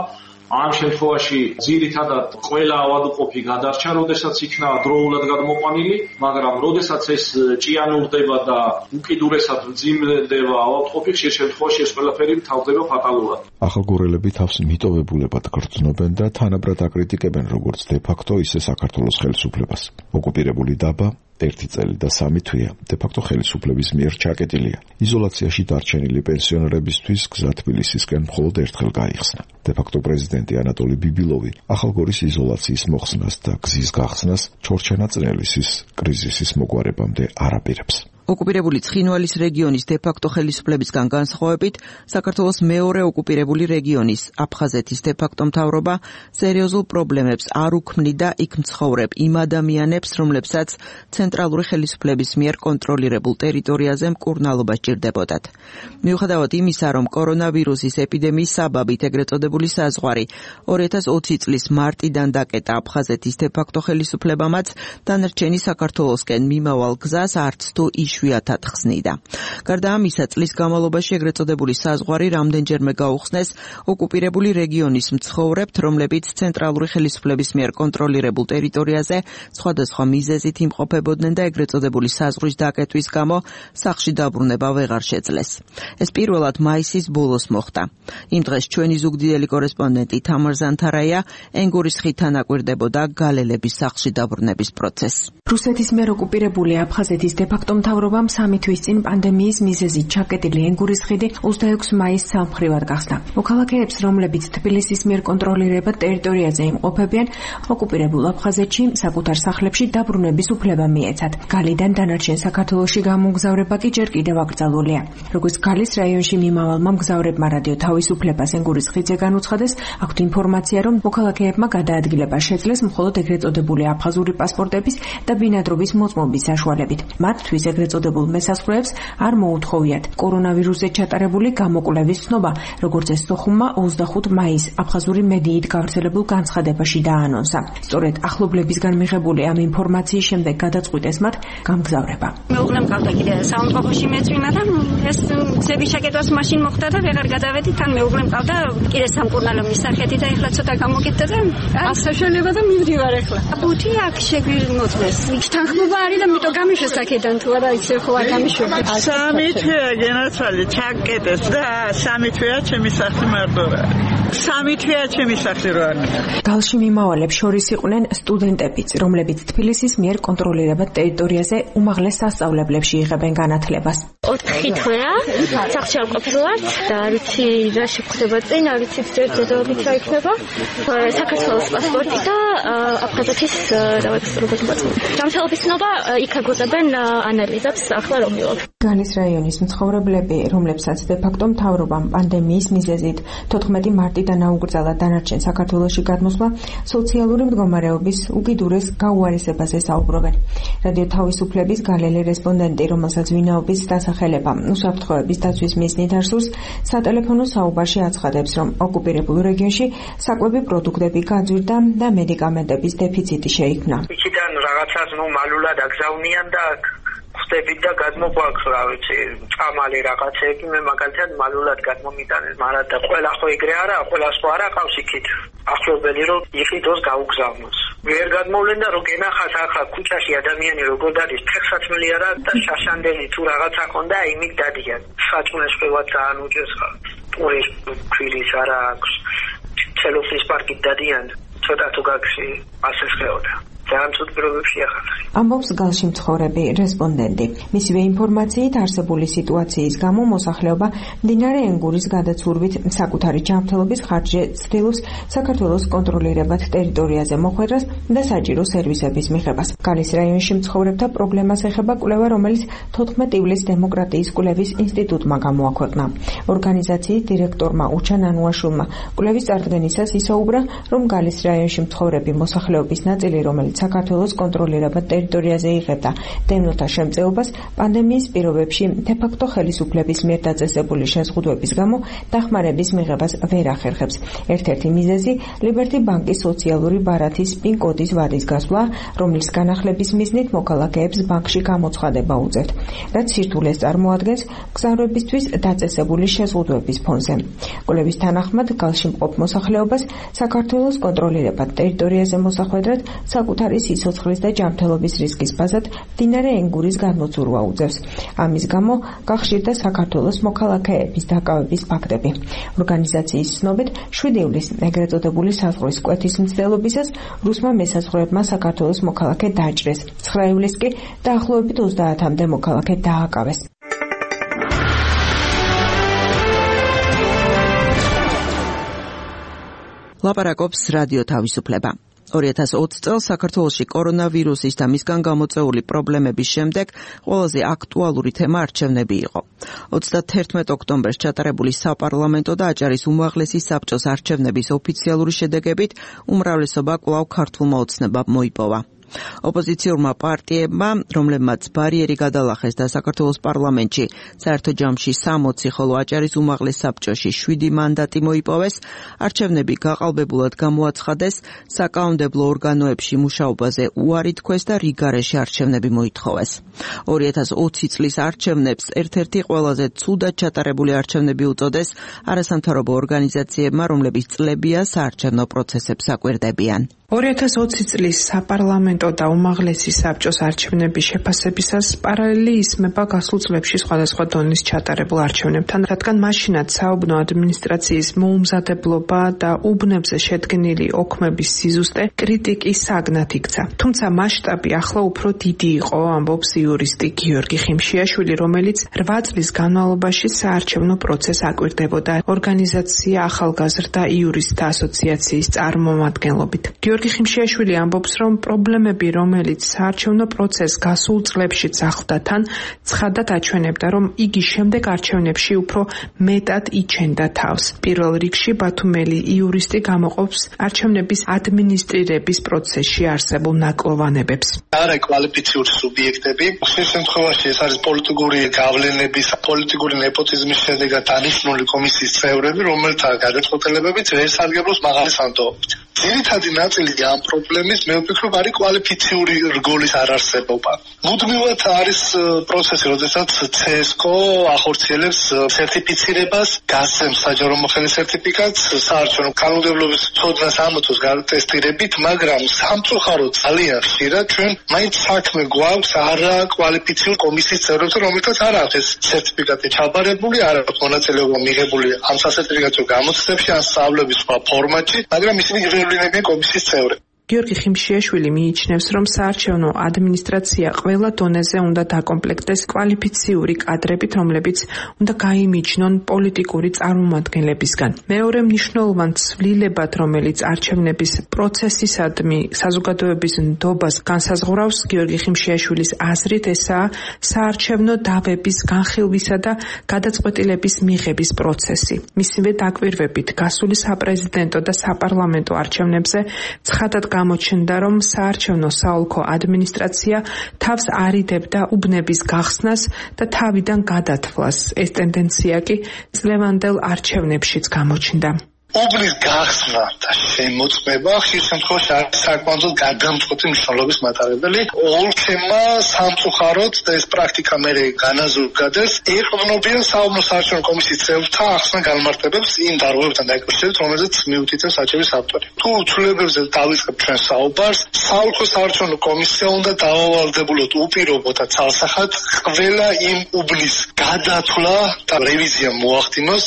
ამ შემთხვევაში ძირითადად ყველა ავადმყოფი გადარჩა, როდესაც იქნა დროულად გადმოყვანილი, მაგრამ როდესაც ეს ჭიანურდება და უკიდურესად მძიმდება ავადმყოფი, ხშირ შემთხვევაში ეს ყველაფერი თავდება ფატალურად. ახალგორელები თავს მიტოვებულებად გრძნობენ და თანაბრად აკრიტიკებენ როგორც დე-ფაქტო, ისე საქართველოს ხელისუფლებას. ოკუპირებული დაბა ერთი წელი და სამი თვეა დე-ფაქტო ხელისუფლების მიერ ჩაკეტილია. იზოლაციაში დარჩენილი პენსიონერებისთვის გზა თბილისისკენ მხოლოდ ერთხელ გაიხსნა. დე-ფაქტო პრეზიდენტი ანატოლი ბიბილოვი ახალგორის იზოლაციის მოხსნას და გზის გახსნას ჩორჩანა წნელისის კრიზისის მოგვარებამდე არ აპირებს. ოკუპირებული ცხინვალის რეგიონის დე-ფაქტო ხელისუფლებისგან განსხვავებით, საქართველოს მეორე ოკუპირებული რეგიონის აფხაზეთის დე-ფაქტო მთავრობა სერიოზულ პრობლემებს არ უქმნიდა იქ მცხოვრებ იმ ადამიანებს, რომლებსაც ცენტრალური ხელისუფლების მიერ კონტროლირებულ ტერიტორიაზე მკურნალობა სჭირდებოდათ. მიუხედავად იმისა, რომ კორონავირუსის ეპიდემიის საბაბით ეგრეთ წოდებული საზღვარი ორი ათას ოცი წლის მარტიდან დაკეტა აფხაზეთის დე-ფაქტო ხელისუფლებამაც, დანარჩენი საქართველოსკენ მიმავალ გზას არც თუ იშვიათად ხსნიდა. გარდა ამისა, წლის განმავლობაში ეგრეთ წოდებული საზღვარი რამდენჯერმე გაუხსნეს ოკუპირებული რეგიონის მცხოვრებთ, რომლებიც ცენტრალური ხელისუფლების მიერ კონტროლირებულ ტერიტორიაზე სხვადასხვა მიზეზით იმყოფებოდნენ და ეგრეთ წოდებული საზღვრის დაკეტვის გამო სახლში დაბრუნება ვეღარ შეძლეს. ეს პირველად მაისის ბოლოს მოხდა. იმ დღეს ჩვენი ზუგდიდელი კორესპონდენტი თამარ ზანთარაია ენგურის ხიდთან ანაკვირდებოდა გალელების სახლში დაბრუნების პროცესს. რუსეთის მიერ ოკუპირებული აფხაზეთის დე-ფაქტო მთავრობა მთავრობამ სამი თვის წინ პანდემიის მიზეზით ჩაკეტილი ენგურის ხიდი ოცდაექვსი მაისს სამმხრივად გახსნა. მოქალაქეებს, რომლებიც თბილისის მიერ კონტროლირებად ტერიტორიაზე იმყოფებიან, ოკუპირებულ აფხაზეთში საკუთარ სახლებში დაბრუნების უფლება მიეცათ. გალიდან დანარჩენ საქართველოში გამოგზავრება კი ჯერ კიდევ აკრძალულია. როგორც გალის რაიონში მიმავალმა მგზავრებმა რადიო თავისუფლებას ენგურის ხიდზე განუცხადეს, აქვთ ინფორმაცია, რომ მოქალაქეებმა გადაადგილება შეძლეს მხოლოდ ეგრეთ წოდებული აფხაზური პასპორტების და ბინადრობის მოწმობის საშუალებით. მათთვის ეგრეთ წოდებულ მესაზღვრეებს არ მოუთხოვიათ კორონავირუსზე ჩატარებული გამოკვლევის ცნობა, როგორც ეს სოხუმმა ოცდახუთი მაისს აფხაზური მედიით გავრცელებულ განცხადებაში დაანონსა. სწორედ ახლობლებისგან მიღებული ამ ინფორმაციის შემდეგ გადაწყვიტეს მათ გამგზავრება. მეუღლე მყავდა კიდე საავადმყოფოში მეწვინა და ეს გზების ჩაკეტვას მაშინ მოხდა და ვეღარ გადავედით, თან მეუღლე მყავდა კიდე სამკურნალო მისახეთი და ეხლა ცოტა გამოგიტდა და აქ საშუალება და მივდივარ ეხლა. ბუთი აქ შეგვიმოწმეს. იქ თანხმობა არის და მიტო გამიშვეს აქედან თუ არა იქ ხო არ გამიშვები. სამი თვეა გენაცვალე ჩაკეტეს და სამი თვეა ჩემი სახლი მარტო რა. სამი თვეა ჩემი სახლი რა. გალში მიმავალებს შორის იყვნენ სტუდენტებიც, რომლებიც თბილისის მიერ კონტროლირებად ტერიტორიაზე უმაღლეს სასწავლებლებში იღებენ განათლებას. ოთხი თვეა სახლში არ ყოფილვართ და არიცი რა შეხვდება წინ, არიცი ძერძედობით რა იქნება. საქართველოს პასპორტი და აფხაზეთის დავაქსრობთ ბაცო. გამშალობის ცნობა იქ აგუწებენ ანალიზებს ახლა რომ მივაქვს. გალის რაიონის მცხოვრებლები, რომლებსაც დე-ფაქტო მთავრობამ პანდემიის მიზეზით თოთხმეტი მარტიდან აუკრძალა დანარჩენ საქართველოში გადმოსვლა, სოციალური მდგომარეობის უკიდურეს გაუარესებაზე საუბრობენ. რადიო თავისუფლების გალელი რესპონდენტი, რომელსაც ვინაობის დასახელება უსაფრთხოების დაცვის მიზნით არსურს, სატელეფონო საუბარში აცხადებს, რომ ოკუპირებულ რეგიონში საკვები პროდუქტები გაძვირდა და მედიკამენტების დეფიციტი შეიქმნა. იქიდან რაღაცას ნუ მალულად აგზავნიან და ხდებით და გადმოგვაქვს რა ვიცი წამალი რაღაცეები მე მაგალითად მალულად გადმომიტანეს მაგრამ და ყველა ხო ეგრე არა ყველა სხვა არა ყავს იქით ახლობელი რომ იყიდოს გაუგზავნოს ვერ გადმოვლენ და რო გენახას ახლა ქუჩაში ადამიანი როგორ დადის ფეხსაცმელი არა და შაშანდელი თუ რაღაცა ხონდა იმით დადიან საჭმელს ყველა ძალიან უჭერს ხარ პურის ქვილის არა აქვს ცელოფის პარკით დადიან ცოტა თუ გაქვში ასე შეოდა ძალიან ცუდ პირობებში ახალხი. ამბობს გალში მცხოვრები რესპონდენტი. მისივე ინფორმაციით არსებული სიტუაციის გამო მოსახლეობა მდინარე ენგურის გადაცურვით საკუთარი ჯანმრთელობის ხარჯზე ცდილობს საქართველოს კონტროლირებად ტერიტორიაზე მოხვედრას და საჭირო სერვისების მიღებას. გალის რაიონში მცხოვრებთა პრობლემას ეხება კვლევა, რომელიც თოთხმეტი ივლისს დემოკრატიის კვლევის ინსტიტუტმა გამოაქვეყნა. ორგანიზაციის დირექტორმა უჩან ანუაშულმა კვლევის წარდგენისას ისაუბრა, რომ გალის რაიონში მცხოვრები მოსახლეობის ნაწილი, რომელიც საქართველოს კონტროლირებად ტერიტორიაზე იღებდა დევნილთა შემწეობას პანდემიის პირობებში დე-ფაქტო ხელისუფლების მიერ დაწესებული შეზღუდვების გამო დახმარების მიღებას ვერ ახერხებს. ერთ-ერთი მიზეზი ლიბერტი ბანკის სოციალური ბარათის პინ-კოდის ვადის გასვლა, რომლის განახლების მიზნით მოქალაქეებს ბანკში გამოცხადება უწევთ, რაც სირთულეს წარმოადგენს მგზავრებისთვის დაწესებული შეზღუდვების ფონზე. კვლევის თანახმად გალში მყოფ მოსახლეობას საქართველოს კონტროლირებად ტერიტორიაზე მოსახვედრად საკუთარი სიცოცხლის და ჯანმრთელობის რისკის ბაზად მდინარე ენგურის გადმოცურვა უწევს. ამის გამო გახშირდა საქართველოს მოქალაქეების დაკავების ფაქტები. ორგანიზაციის ცნობით, შვიდი ივლისს ეგრეთ წოდებული საზღვრის კვეთის მცდელობისას რუსმა მესაზღვრეებმა საქართველოს მოქალაქე დაჭრეს. ცხრა ივლისს კი დაახლოებით ოცდაათამდე მოქალაქე დააკავეს. ლაპარაკობს რადიო თავისუფლება. ორი ათას ოცი წელს საქართველოში კორონავირუსის და მისგან გამოწვეული პრობლემების შემდეგ ყველაზე აქტუალური თემა არჩევნები იყო. ოცდათერთმეტ ოქტომბერს ჩატარებული საპარლამენტო და აჭარის უმაღლესი საბჭოს არჩევნების ოფიციალური შედეგებით უმრავლესობა კვლავ ქართულმა ოცნებამ მოიპოვა. ოპოზიციურმა პარტიებმა, რომლებმაც ბარიერი გადალახეს და საქართველოს პარლამენტში საერთო ჯამში სამოცი, ხოლო აჭარის უმაღლეს საბჭოში შვიდი მანდატი მოიპოვეს, არჩევნები გაყალბებულად გამოაცხადეს, საკანონმდებლო ორგანოებში მუშაობაზე უარი თქვეს და რიგარეში არჩევნები მოითხოვეს. ორი ათას ოცი წლის არჩევნებს ერთ-ერთი ყველაზე ცუდად ჩატარებული არჩევნები უწოდეს არასამთავრობო ორგანიზაციებმა, რომლებიც წლებია საარჩევნო პროცესებს აკვირდებიან. ორი ათას ოცი წლის საპარლამენტო და უმაღლესი საბჭოს არჩევნების შეფასებისას პარალელი ისმება გასულ წლებში სხვადასხვა დონის ჩატარებულ არჩევნებთან, რადგან მაშინაც საუბნო ადმინისტრაციის მოუმზადებლობა და უბნებზე შედგენილი ოქმების სიზუსტე კრიტიკის საგნად იქცა. თუმცა მასშტაბი ახლა უფრო დიდი იყო, ამბობს იურისტი გიორგი ხიმშიაშვილი, რომელიც რვა წლის განმავლობაში საარჩევნო პროცესს აკვირდებოდა ორგანიზაცია ახალგაზრდა იურისტთა ასოციაციის წარმომადგენლობით. გიორგი ხიმშიაშვილი ამბობს, რომ პრობლემები, რომელიც საარჩევნო პროცესს გასულ წლებშიც ახლდა თან, ცხადად აჩვენებდა, რომ იგი შემდეგ არჩევნებში უფრო მეტად იჩენდა თავს. პირველ რიგში ბათუმელი იურისტი გამოყოფს არჩევნების ადმინისტრირების პროცესში არსებულ ნაკლოვანებებს. არა კვალიფიციური სუბიექტები, ხშირ შემთხვევაში ეს არის პოლიტიკური გავლენების, პოლიტიკური ნეპოტიზმის შედეგად დანიშნული კომისიის წევრები, რომელთა გადაწყვეტილებებით ვერ სარგებლობს მაღალი სანდოობით. ძირითადი ნაწილი ამ პრობლემის მე ვფიქრობ არის კვალიფიციური რგოლის არარსებობა. მუდმივად არის პროცესი, როდესაც ცესკო ახორციელებს სერტიფიცირებას, გასცემს საჯარო მოხელის სერტიფიკატს საარჩევნო კანონმდებლობის ცოდნას ამოწოს გატესტირებით, მაგრამ სამწუხაროდ ძალიან ხშირად ჩვენ მაინც საქმე გვაქვს არა კვალიფიციური კომისიის წევრებთან, რომელთაც არ აქვს ეს სერტიფიკატი ჩაბარებული, არ აქვს მონაწილეობა მიღებული ამ სასერტიფიკატო გამოცდებში ან სწავლების სხვა ფორმატში, მაგრამ ისინი გრევლინებიან კომისიის წევრები. გიორგი ხიმშიაშვილი მიიჩნევს, რომ საარჩევნო ადმინისტრაცია ყველა დონეზე უნდა დაკომპლექტდეს კვალიფიციური კადრებით, რომლებიც უნდა გაიმიჯნონ პოლიტიკური წარმომადგენლებისგან. მეორე მნიშვნელოვან ცვლილებად, რომელიც არჩევნების პროცესისადმი საზოგადოების ნდობას განსაზღვრავს, გიორგი ხიმშიაშვილის აზრით, ესაა საარჩევნო დავების განხილვისა და გადაწყვეტილების მიღების პროცესი. მისივე დაკვირვებით, გასული საპრეზიდენტო და საპარლამენტო არჩევნებზე ცხადად გამოჩნდა, რომ საარჩევნო საოლქო ადმინისტრაცია თავს არიდებდა უბნების გახსნას და თავიდან გადათვლას. ეს ტენდენცია კი წლევანდელ არჩევნებშიც გამოჩნდა. უბნის გახსნა და შემოწმება ხშირ შემთხვევაში არის საკმაოდ გადამწყვეტი მნიშვნელობის მატარებელი. ოლქებმა სამწუხაროდ და ეს პრაქტიკა მერე განაზრგადეს, ეყრდნობიან საუბნო საარჩევნო კომისიის წევრთა ახსნა-განმარტებებს იმ დარღვევებთან დაკავშირებით, რომელზეც მიუთითებს საჩევის ავტორი. თუ ცვლილებებზე დავიწყებ ჩვენ საუბარს, საოლქო საარჩევნო კომისია უნდა დაავალდებულოთ უპირობო და ცალსახად ყველა იმ უბნის გადათვლა და რევიზია მოახდინოს,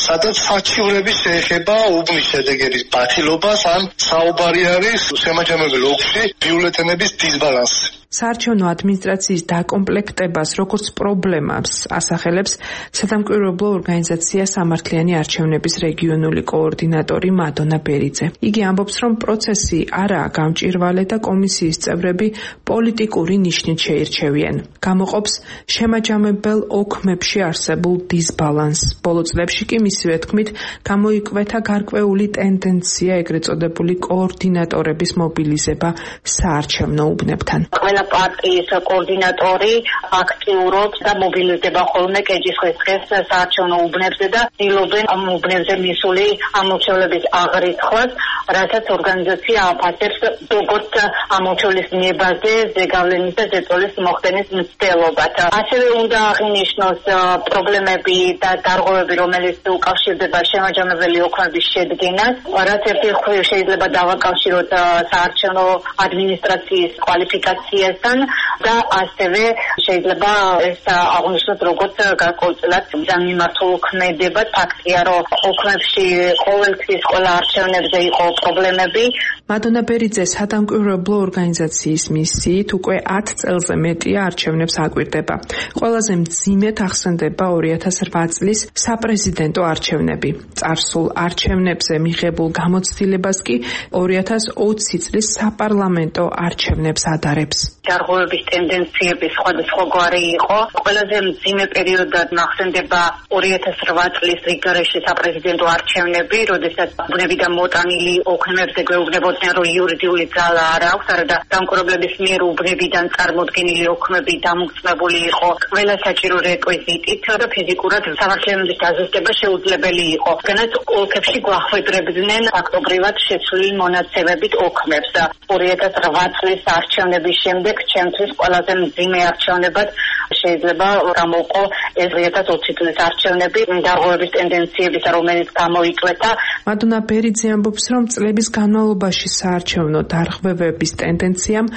სადაც საჩივრები შეეხება უბნის შედეგების ბათილობას ან საუბარი არის შემაჯამებელ ოლქში ბიულეტენების დისბალანსი. საარჩევნო ადმინისტრაციის დაკომპლექტებას როგორც პრობლემას ასახელებს სადამკვირვებლო ორგანიზაცია სამართლიანი არჩევნების რეგიონული კოორდინატორი მადონა ბერიძე. იგი ამბობს, რომ პროცესი არაა გამჭვირვალე და კომისიის წევრები პოლიტიკური ნიშნით შეირჩევიან. გამოყოფს შემაჯამებელ ოქმებში არსებულ დისბალანსს. ბოლო წლებში კი მისივე თქმით გამოიკვეთა გარკვეული ტენდენცია ეგრეთ წოდებული კოორდინატორების მობილიზება საარჩევნო უბნებთან. პარტიის კოორდინატორი აქტიურობს და მობილიზდება ხოლმე კეჯის დღეს საარჩევნო უბნებზე და ცდილობენ ამ უბნებზე მისული ამორჩევლების აღრიცხვას, რასაც ორგანიზაცია აფასებს როგორც ამორჩევლის ნებაზე ზეგავლენის და ზეწოლის მოხდენის მცდელობად. ასევე უნდა აღინიშნოს პრობლემები და დარღვევები, რომელიც უკავშირდება შემაჯამებელი ოქმების შედგენას, რაც ერთი მხრივ შეიძლება დავაკავშიროთ საარჩევნო ადმინისტრაციის კვალიფიკაციას და ასევე შეიძლება ეს აღნიშნოთ როგორც გარკვეულწილად სამიმართო ქმედება. ფაქტია, რომ ოქმებში ყოველთვის ყველა არჩევნებზე იყო პრობლემები. მადონა ბერიძე სადამკვირვებლო ორგანიზაციის მისიით უკვე ათ წელზე მეტია არჩევნებს აკვირდება. ყველაზე მძიმედ ახსენდება ორი ათას რვა წლის საპრეზიდენტო არჩევნები. წარსულ არჩევნებზე მიღებულ გამოცდილებას კი ორი ათას ოცი წლის საპარლამენტო არჩევნებს ადარებს. დარღვევების ტენდენციები სხვადასხვაგვარი იყო. ყველაზე მძიმე პერიოდად ნახსენდება ორი ათას რვა წლის რიგარეში საპრეზიდენტო არჩევნები, როდესაც უბნებიდან მოტანილი ოქმებზე გვეუბნებოდნენ, რომ იურიდიული ძალა არ აქვს, არადა დამკვირვებლების მიერ უბნებიდან წარმოდგენილი ოქმები დამოწმებული იყო ყველა საჭირო რეკვიზიტით და ფიზიკურად სამართლიანობის დაზუსტება შეუძლებელი იყო. განაც ოლქებში გვახვედრებდნენ ფაქტობრივად შეცვლილი მონაცემებით ოქმებს. ორი ათას რვა წლის არჩევნების შემდეგ შემდეგ ჩემთვის ყველაზე მძიმე არჩევნებად შეიძლება გამოვყო ეს δύο χιλιάδες είκοσι წლის არჩევნები, დარღვევების ტენდენციების, რომელიც გამოიწვეთა. მადონა ბერიძე ამბობს, რომ წლების განმავლობაში საარჩევნო დარღვევების ტენდენციამ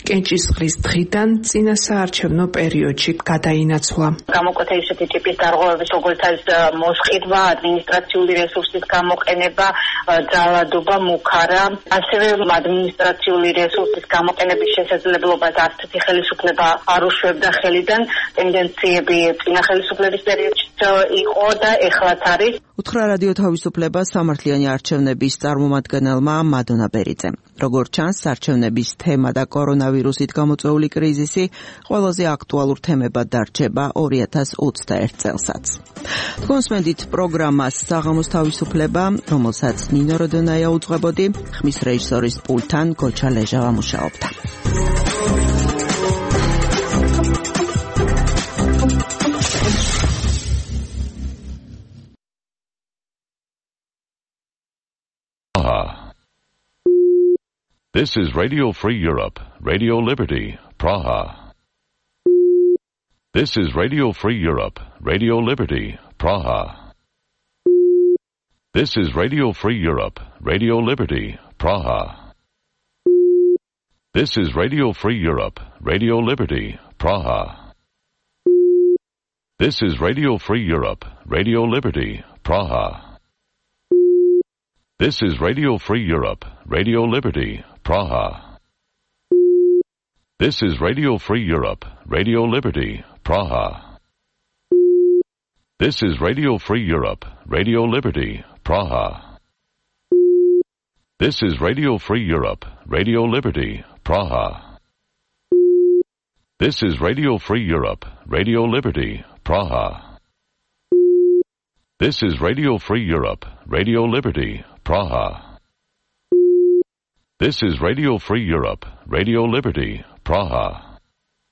კენჭისყრის დღიდან წინა საარჩევნო პერიოდში გადაინაცვლა. გამოკვეთა ისეთი ტიპის დარღვევების, როგორც არის მოსყიდვა, ადმინისტრაციული რესურსის გამოყენება, ძალადობა, მუქარა, ასევე ადმინისტრაციული რესურსის გამოყენების შესაძლებლობას არცეთი ხელისუფლება არ უშვებდა ხელიდან. ტენდენციები წინა ხელისუფლების პერიოდში იყო და ეხლაც არის. უთხრა რადიო თავისუფლება სამართლიანი არჩევნების წარმომადგენელმა მადონა ბერიძემ. როგორც ჩანს, არჩევნების თემა და კორონავირუსით გამოწვეული კრიზისი ყველაზე აქტუალურ თემებად დარჩება ორი ათას ოცდაერთ წელსაც. თქვენს მედით პროგრამას საღამოს თავისუფლება, რომელსაც ნინო როდონაია უძღვებოდი, ხმის რეჟისორის პულტთან გოჩა ლეჟავა მუშაობდა. This is Radio Free Europe, Radio Liberty, Praha. This is Radio Free Europe, Radio Liberty, Praha. This is Radio Free Europe, Radio Liberty, Praha. This is Radio Free Europe, Radio Liberty, Praha. This is Radio Free Europe, Radio Liberty, Praha. This is Radio Free Europe, Radio Liberty, Praha. This is Radio Free Europe, Radio Liberty, Praha. This is Radio Free Europe, Radio Liberty, Praha. This is Radio Free Europe, Radio Liberty, Praha. This is Radio Free Europe, Radio Liberty, Praha. This is Radio Free Europe, Radio Liberty, Praha. This is Radio Free Europe, Radio Liberty, Praha.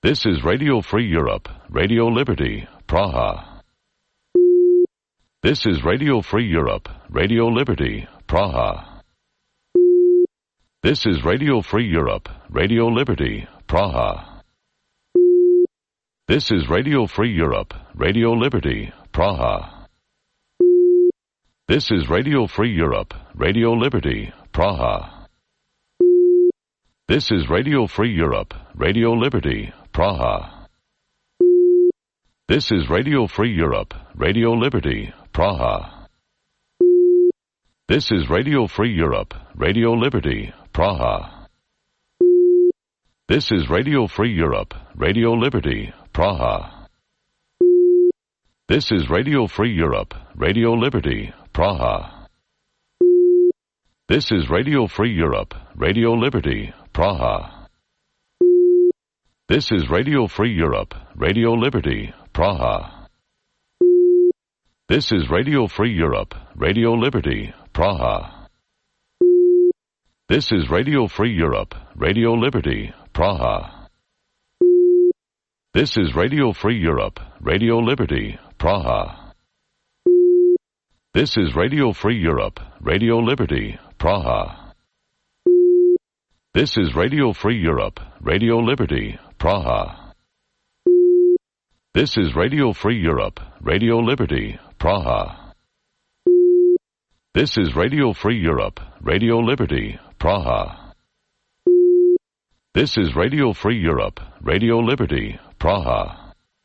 This is Radio Free Europe, Radio Liberty, Praha. This is Radio Free Europe, Radio Liberty, Praha. This is Radio Free Europe, Radio Liberty, Praha. This is Radio Free Europe, Radio Liberty, Praha. This is Radio Free Europe, Radio Liberty, Praha. This is Radio Free Europe, Radio Liberty, Praha. This is Radio Free Europe, Radio Liberty, Praha. This is Radio Free Europe, Radio Liberty, Praha. This is Radio Free Europe, Radio Liberty, Praha. This is Radio Free Europe, Radio Liberty, Praha. This is Radio Free Europe, Radio Liberty, Praha. This is Radio Free Europe, Radio Liberty, Praha. This is Radio Free Europe, Radio Liberty, Praha. This is Radio Free Europe, Radio Liberty, Praha. This is Radio Free Europe, Radio Liberty, Praha. This is Radio Free Europe, Radio Liberty, Praha. This is Radio Free Europe, Radio Liberty, Praha. This is Radio Free Europe, Radio Liberty, Praha. This is Radio Free Europe, Radio Liberty, Praha. This is Radio Free Europe, Radio Liberty, Praha.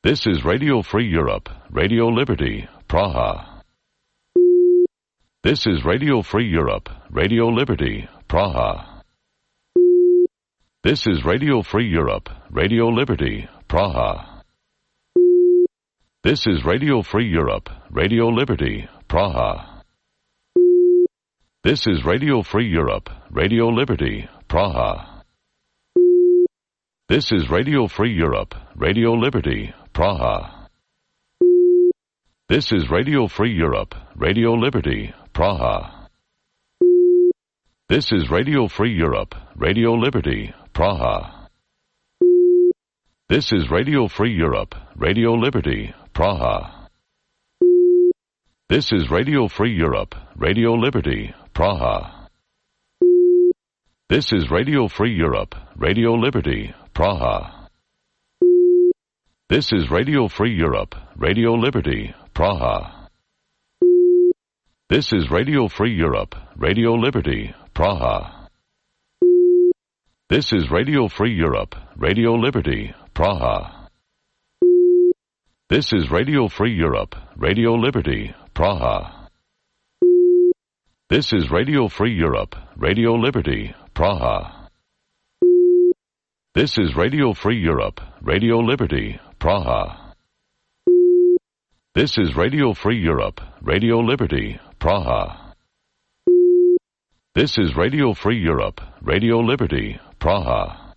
This is Radio Free Europe, Radio Liberty, Praha. This is Radio Free Europe, Radio Liberty, Praha. This is Radio Free Europe, Radio Liberty, Praha. This is Radio Free Europe, Radio Liberty, Praha. This is Radio Free Europe, Radio Liberty, Praha. This is Radio Free Europe, Radio Liberty, Praha. This is Radio Free Europe, Radio Liberty, Praha. This is Radio Free Europe, Radio Liberty, Praha. This is Radio Free Europe, Radio Liberty, Praha. This is Radio Free Europe, Radio Liberty, Praha. This is Radio Free Europe, Radio Liberty, Praha. This is Radio Free Europe, Radio Liberty, Praha. This is Radio Free Europe, Radio Liberty, Praha. This is Radio Free Europe, Radio Liberty, Praha. This is Radio Free Europe, Radio Liberty, Praha. This is Radio Free Europe, Radio Liberty, Praha. This is Radio Free Europe, Radio Liberty, Praha. This is Radio Free Europe, Radio Liberty, Praha. This is Radio Free Europe, Radio Liberty, Praha.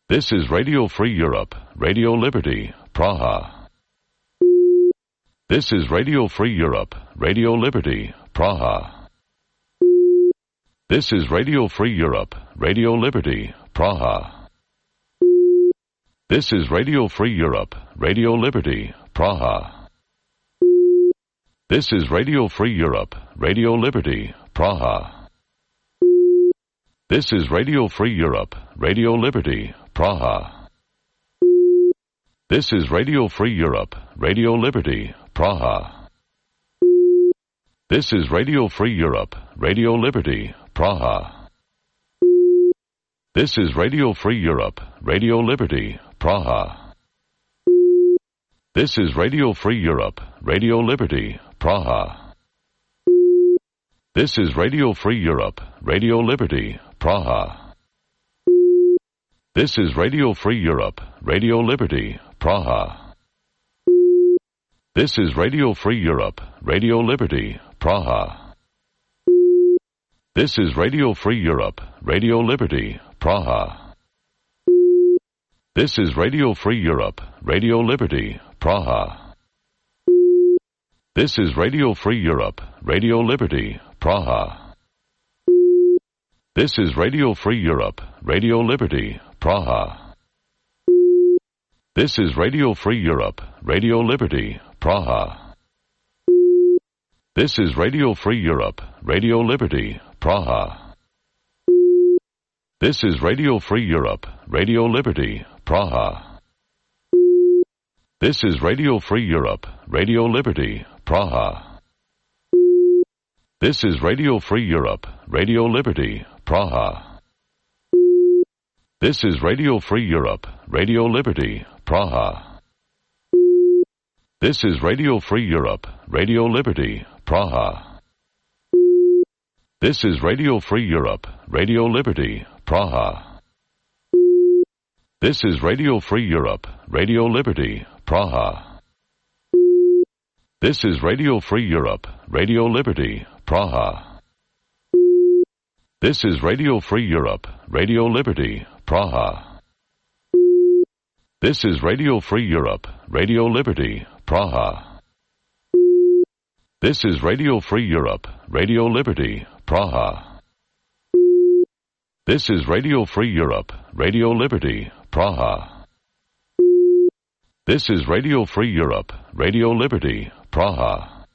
This is Radio Free Europe, Radio Liberty, Praha. This is Radio Free Europe, Radio Liberty, Praha. This is Radio Free Europe, Radio Liberty, Praha. This is Radio Free Europe, Radio Liberty, Praha. This is Radio Free Europe, Radio Liberty, Praha. This is Radio Free Europe, Radio Liberty, Praha. This is Radio Free Europe, Radio Liberty, Praha. This is Radio Free Europe, Radio Liberty, Praha. This is Radio Free Europe, Radio Liberty, Praha. This is Radio Free Europe, Radio Liberty, Praha. This is Radio Free Europe, Radio Liberty, Praha. This is Radio Free Europe, Radio Liberty, Praha. This is Radio Free Europe, Radio Liberty, Praha. This is Radio Free Europe, Radio Liberty, Praha. This is Radio Free Europe, Radio Liberty, Praha. This is Radio Free Europe, Radio Liberty, Praha. This is Radio Free Europe, Radio Liberty, Praha. This is Radio Free Europe, Radio Liberty, Praha. This is Radio Free Europe, Radio Liberty, Praha. This is Radio Free Europe, Radio Liberty, Praha. This is Radio Free Europe, Radio Liberty, Praha. This is Radio Free Europe, Radio Liberty, Praha. This is Radio Free Europe, Radio Liberty, Praha. This is Radio Free Europe, Radio Liberty, Praha. This is Radio Free Europe, Radio Liberty, Praha. This is Radio Free Europe, Radio Liberty, Praha. This is Radio Free Europe, Radio Liberty, Praha. This is Radio Free Europe, Radio Liberty, Praha. This is Radio Free Europe, Radio Liberty, Praha. This is Radio Free Europe, Radio Liberty, Praha. This is Radio Free Europe, Radio Liberty, Praha. This is Radio Free Europe, Radio Liberty, Praha.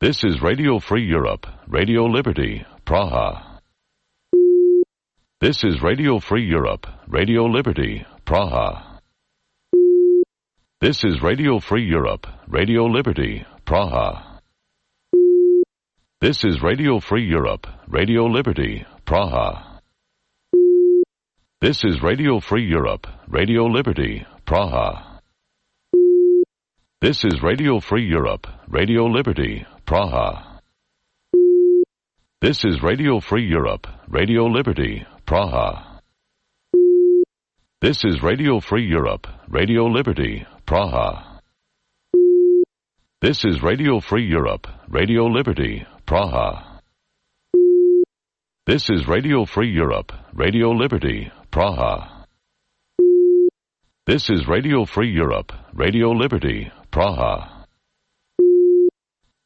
This is Radio Free Europe, Radio Liberty, Praha. This is Radio Free Europe, Radio Liberty, Praha. This is Radio Free Europe, Radio Liberty, Praha. This is Radio Free Europe, Radio Liberty, Praha. This is Radio Free Europe, Radio Liberty, Praha. This is Radio Free Europe, Radio Liberty, Praha. This is Radio Free Europe, Radio Liberty, Praha. This is Radio Free Europe, Radio Liberty, Praha. This is Radio Free Europe, Radio Liberty, Praha. This is Radio Free Europe, Radio Liberty, Praha. This is Radio Free Europe, Radio Liberty, Praha.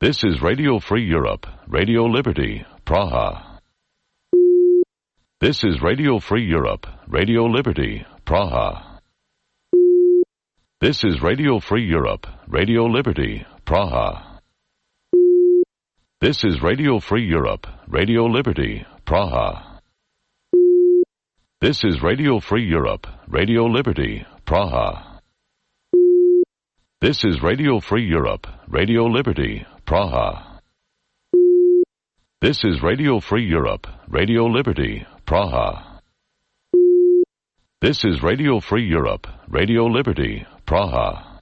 This is Radio Free Europe, Radio Liberty, Praha. This is Radio Free Europe, Radio Liberty, Praha. This is Radio Free Europe, Radio Liberty, Praha. This is Radio Free Europe, Radio Liberty, Praha. This is Radio Free Europe, Radio Liberty, Praha. This is Radio Free Europe, Radio Liberty, Praha. This is Radio Free Europe, Radio Liberty, Praha. This is Radio Free Europe, Radio Liberty, Praha.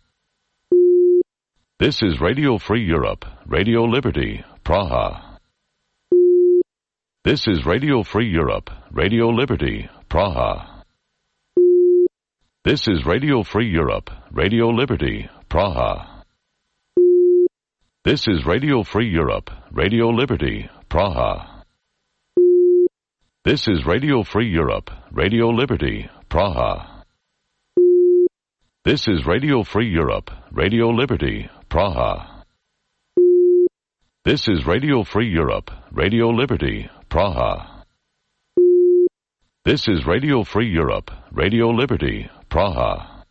This is Radio Free Europe, Radio Liberty, Praha. This is Radio Free Europe, Radio Liberty, Praha. This is Radio Free Europe, Radio Liberty, Praha. This is Radio Free Europe, Radio Liberty, Praha. This is Radio Free Europe, Radio Liberty, Praha. This is Radio Free Europe, Radio Liberty, Praha. This is Radio Free Europe, Radio Liberty, Praha. This is Radio Free Europe, Radio Liberty, Praha.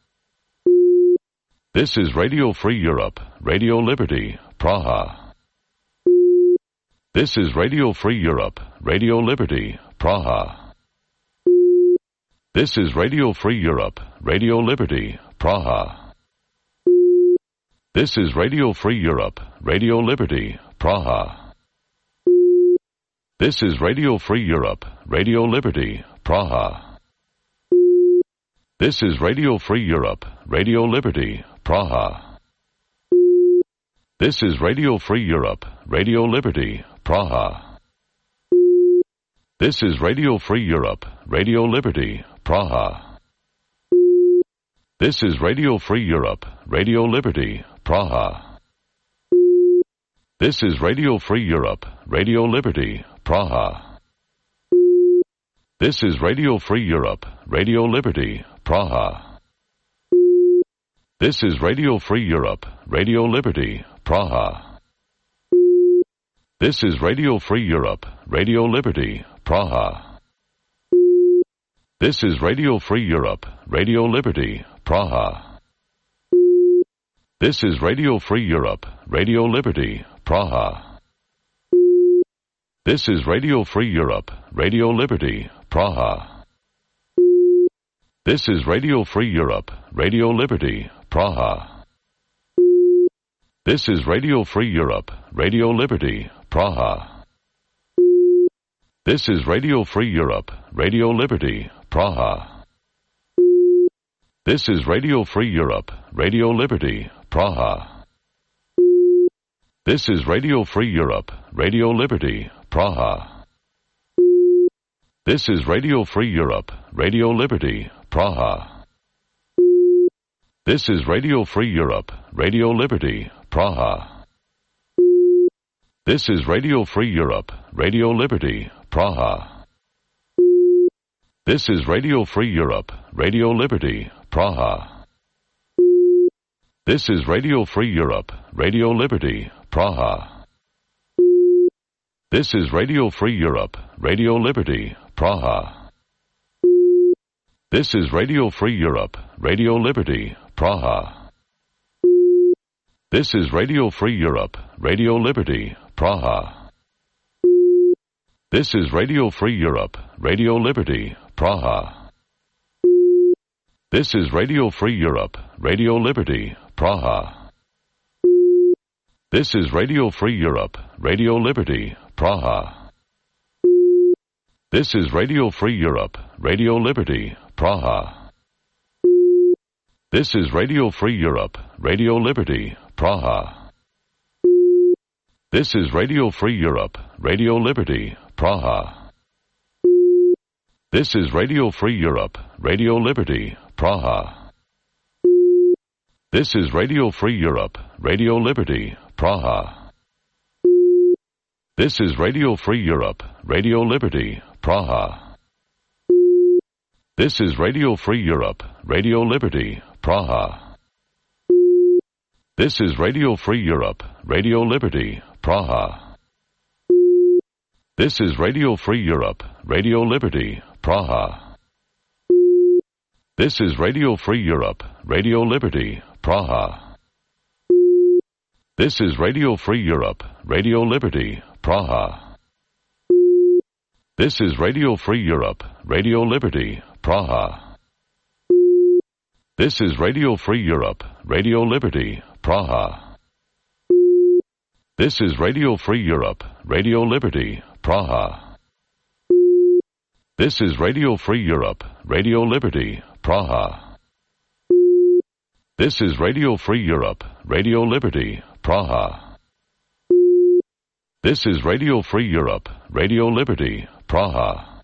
This is Radio Free Europe, Radio Liberty, Praha. This is Radio Free Europe, Radio Liberty, Praha. This is Radio Free Europe, Radio Liberty, Praha. This is Radio Free Europe, Radio Liberty, Praha. This is Radio Free Europe, Radio Liberty, Praha. This is Radio Free Europe, Radio Liberty, Praha. This is Radio Free Europe, Radio Liberty, Praha. This is Radio Free Europe, Radio Liberty, Praha. This is Radio Free Europe, Radio Liberty, Praha. This is Radio Free Europe, Radio Liberty, Praha. This is Radio Free Europe, Radio Liberty, Praha. This is Radio Free Europe, Radio Liberty, Praha. This is Radio Free Europe, Radio Liberty, Praha. This is Radio Free Europe, Radio Liberty, Praha. This is Radio Free Europe, Radio Liberty, Praha. This is Radio Free Europe, Radio Liberty, Praha. This is Radio Free Europe, Radio Liberty, Praha. This is Radio Free Europe, Radio Liberty, Praha. This is Radio Free Europe, Radio Liberty, Praha. This is Radio Free Europe, Radio Liberty, Praha. This is Radio Free Europe, Radio Liberty, Praha. This is Radio Free Europe, Radio Liberty, Praha. This is Radio Free Europe, Radio Liberty, Praha. This is Radio Free Europe, Radio Liberty, Praha. This is Radio Free Europe, Radio Liberty, Praha. This is Radio Free Europe, Radio Liberty, Praha. This is Radio Free Europe, Radio Liberty, Praha. This is Radio Free Europe, Radio Liberty, Praha. This is Radio Free Europe, Radio Liberty, Praha. This is Radio Free Europe, Radio Liberty, Praha. This is Radio Free Europe, Radio Liberty, Praha. This is Radio Free Europe, Radio Liberty, Praha. This is Radio Free Europe, Radio Liberty, Praha. This is Radio Free Europe, Radio Liberty, Praha. This is Radio Free Europe, Radio Liberty, Praha. This is Radio Free Europe, Radio Liberty, Praha. This is Radio Free Europe, Radio Liberty, Praha. This is Radio Free Europe, Radio Liberty, Praha. This is Radio Free Europe, Radio Liberty, Praha. This is Radio Free Europe, Radio Liberty, Praha. This is Radio Free Europe, Radio Liberty, Praha. This is Radio Free Europe, Radio Liberty, Praha. This is Radio Free Europe, Radio Liberty, Praha. This is Radio Free Europe, Radio Liberty, Praha. This is Radio Free Europe, Radio Liberty, Praha. This is Radio Free Europe, Radio Liberty, Praha. This is Radio Free Europe, Radio Liberty, Praha. This is Radio Free Europe, Radio Liberty, Praha. This is Radio Free Europe, Radio Liberty, Praha.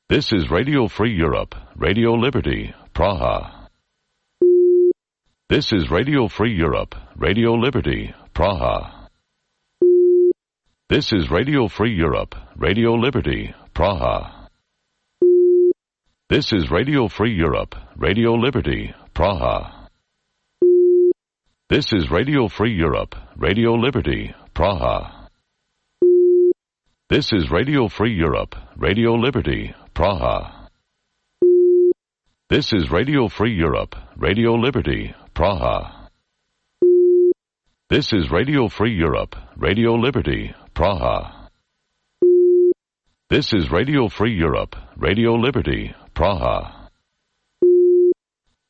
This is Radio Free Europe, Radio Liberty, Praha. This is Radio Free Europe, Radio Liberty, Praha. This is Radio Free Europe, Radio Liberty, Praha. This is Radio Free Europe, Radio Liberty, Praha. This is Radio Free Europe, Radio Liberty, Praha. This is Radio Free Europe, Radio Liberty, Praha. This is Radio Free Europe, Radio Liberty, Praha. This is Radio Free Europe, Radio Liberty, Praha. This is Radio Free Europe, Radio Liberty, Praha.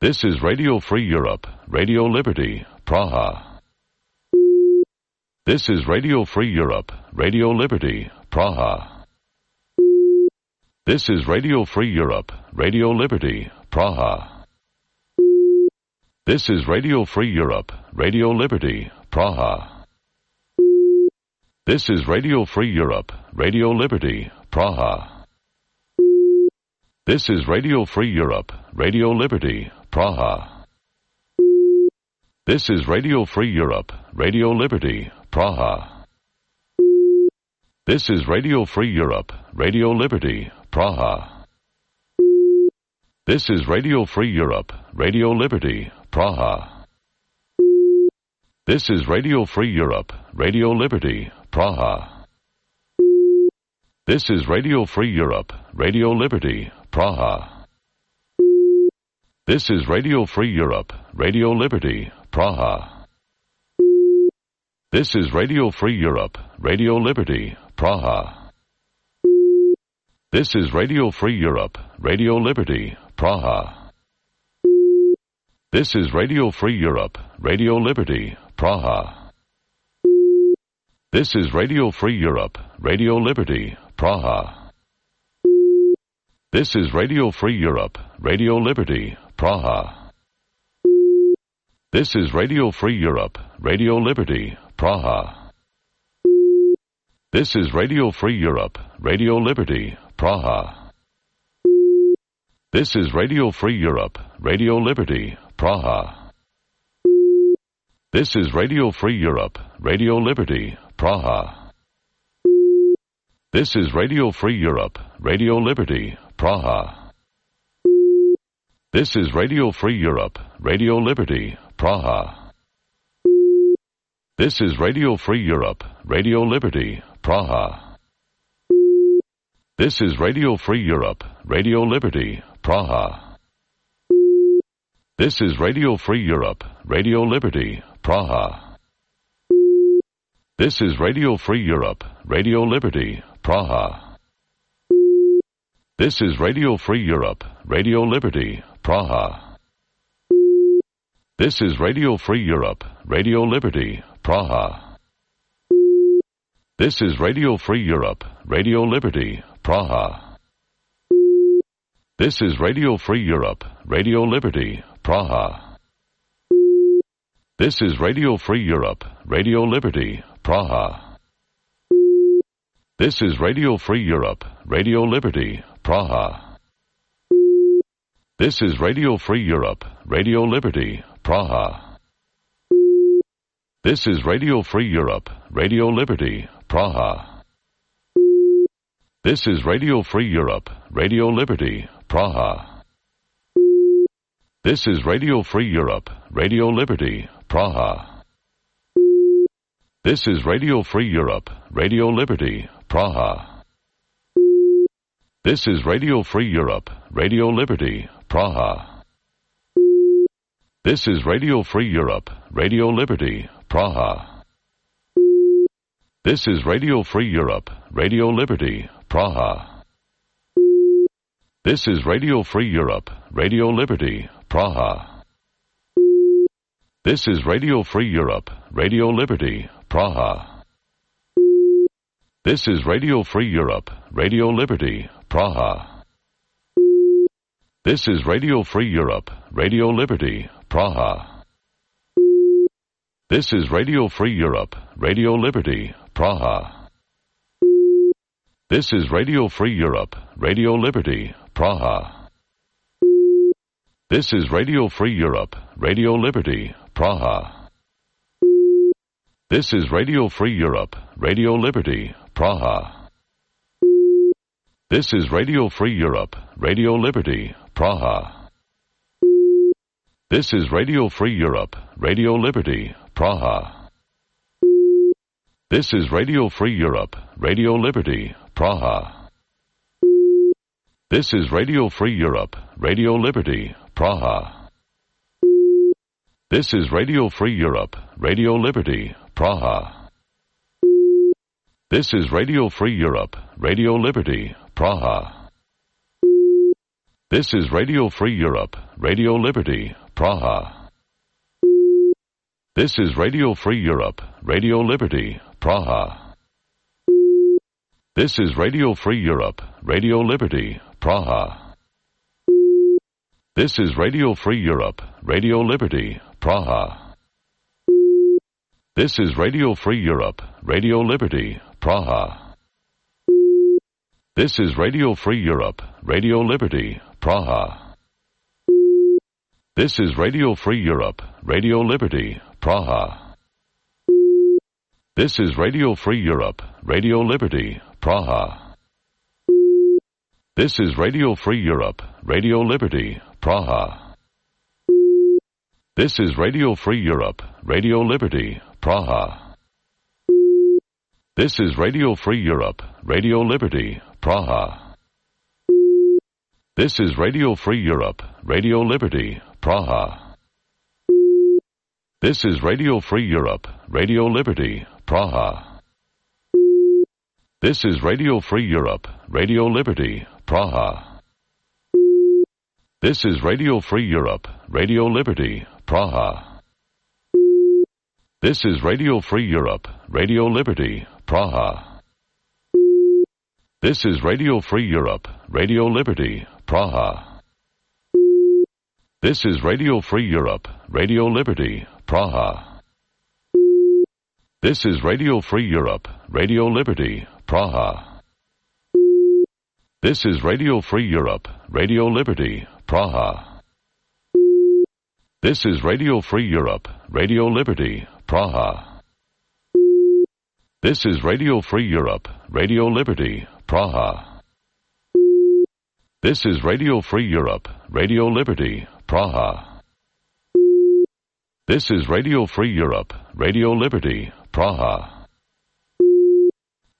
This is Radio Free Europe, Radio Liberty, Praha. This is Radio Free Europe, Radio Liberty, Praha. This is Radio Free Europe, Radio Liberty, Praha. This is Radio Free Europe, Radio Liberty, Praha. This is Radio Free Europe, Radio Liberty, Praha. This is Radio Free Europe, Radio Liberty, Praha. This is Radio Free Europe, Radio Liberty, Praha. This is Radio Free Europe, Radio Liberty, Praha. This is Radio Free Europe, Radio Liberty, Praha. This is Radio Free Europe, Radio Liberty, Praha. This is Radio Free Europe, Radio Liberty, Praha. This is Radio Free Europe, Radio Liberty, Praha. This is Radio Free Europe, Radio Liberty, Praha. This is Radio Free Europe, Radio Liberty, Praha. This is Radio Free Europe, Radio Liberty, Praha. This is Radio Free Europe, Radio Liberty, Praha. This is Radio Free Europe, Radio Liberty, Praha. This is Radio Free Europe, Radio Liberty, Praha. This is Radio Free Europe, Radio Liberty, Praha. This is Radio Free Europe, Radio Liberty, Praha. This is Radio Free Europe, Radio Liberty, Praha. This is Radio Free Europe, Radio Liberty, Praha. This is Radio Free Europe, Radio Liberty, Praha. This is Radio Free Europe, Radio Liberty, Praha. This is Radio Free Europe, Radio Liberty, Praha. This is Radio Free Europe, Radio Liberty, Praha. This is Radio Free Europe, Radio Liberty, Praha. This is Radio Free Europe, Radio Liberty, Praha. This is Radio Free Europe, Radio Liberty, Praha. This is Radio Free Europe, Radio Liberty, Praha. This is Radio Free Europe, Radio Liberty, Praha. This is Radio Free Europe, Radio Liberty, Praha. This is Radio Free Europe, Radio Liberty, Praha. This is Radio Free Europe, Radio Liberty, Praha. This is Radio Free Europe, Radio Liberty, Praha. This is Radio Free Europe, Radio Liberty, Praha. This is Radio Free Europe, Radio Liberty, Praha. This is Radio Free Europe, Radio Liberty, Praha. This is Radio Free Europe, Radio Liberty, Praha. This is Radio Free Europe, Radio Liberty, Praha. This is Radio Free Europe, Radio Liberty, Praha. This is Radio Free Europe, Radio Liberty, Praha. This is Radio Free Europe, Radio Liberty, Praha. This is Radio Free Europe, Radio Liberty, Praha. This is Radio Free Europe, Radio Liberty, Praha. This is Radio Free Europe, Radio Liberty, Praha. This is Radio Free Europe, Radio Liberty, Praha. This is Radio Free Europe, Radio Liberty, Praha. This is Radio Free Europe, Radio Liberty, Praha. This is Radio Free Europe, Radio Liberty, Praha. This is Radio Free Europe, Radio Liberty, Praha. This is Radio Free Europe, Radio Liberty, Praha. This is Radio Free Europe, Radio Liberty, Praha. This is Radio Free Europe, Radio Liberty, Praha. This is Radio Free Europe, Radio Liberty, Praha. This is Radio Free Europe, Radio Liberty, Praha. This is Radio Free Europe, Radio Liberty, Praha. This is Radio Free Europe, Radio Liberty, Praha. This is Radio Free Europe, Radio Liberty, Praha. This is Radio Free Europe, Radio Liberty, Praha. This is Radio Free Europe, Radio Liberty, Praha. This is Radio Free Europe, Radio Liberty, Praha. This is Radio Free Europe, Radio Liberty, Praha. This is Radio Free Europe, Radio Liberty, Praha. This is Radio Free Europe, Radio Liberty, Praha. This is Radio Free Europe, Radio Liberty, Praha. This is Radio Free Europe, Radio Liberty, Praha. This is Radio Free Europe, Radio Liberty, Praha. This is Radio Free Europe, Radio Liberty, Praha. This is Radio Free Europe, Radio Liberty, Praha. This is Radio Free Europe, Radio Liberty, Praha. This is Radio Free Europe, Radio Liberty, Praha. This is Radio Free Europe, Radio Liberty, Praha. This is Radio Free Europe, Radio Liberty, Praha. This is Radio Free Europe, Radio Liberty, Praha. This is Radio Free Europe, Radio Liberty, Praha. This is Radio Free Europe, Radio Liberty, Praha. This is Radio Free Europe, Radio Liberty, Praha. This is Radio Free Europe, Radio Liberty, Praha.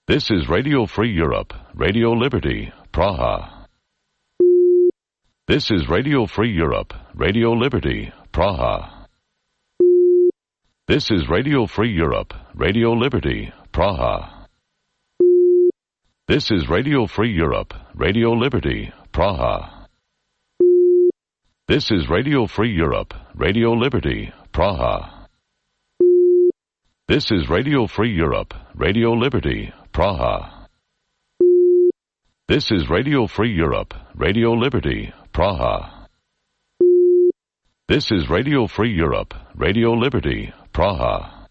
This is Radio Free Europe, Radio Liberty, Praha. This is Radio Free Europe, Radio Liberty, Praha. This is Radio Free Europe, Radio Liberty, Praha. This is Radio Free Europe, Radio Liberty, Praha. This is Radio Free Europe, Radio Liberty, Praha. This is Radio Free Europe, Radio Liberty, Praha. This is Radio Free Europe, Radio Liberty, Praha. This is Radio Free Europe, Radio Liberty, Praha.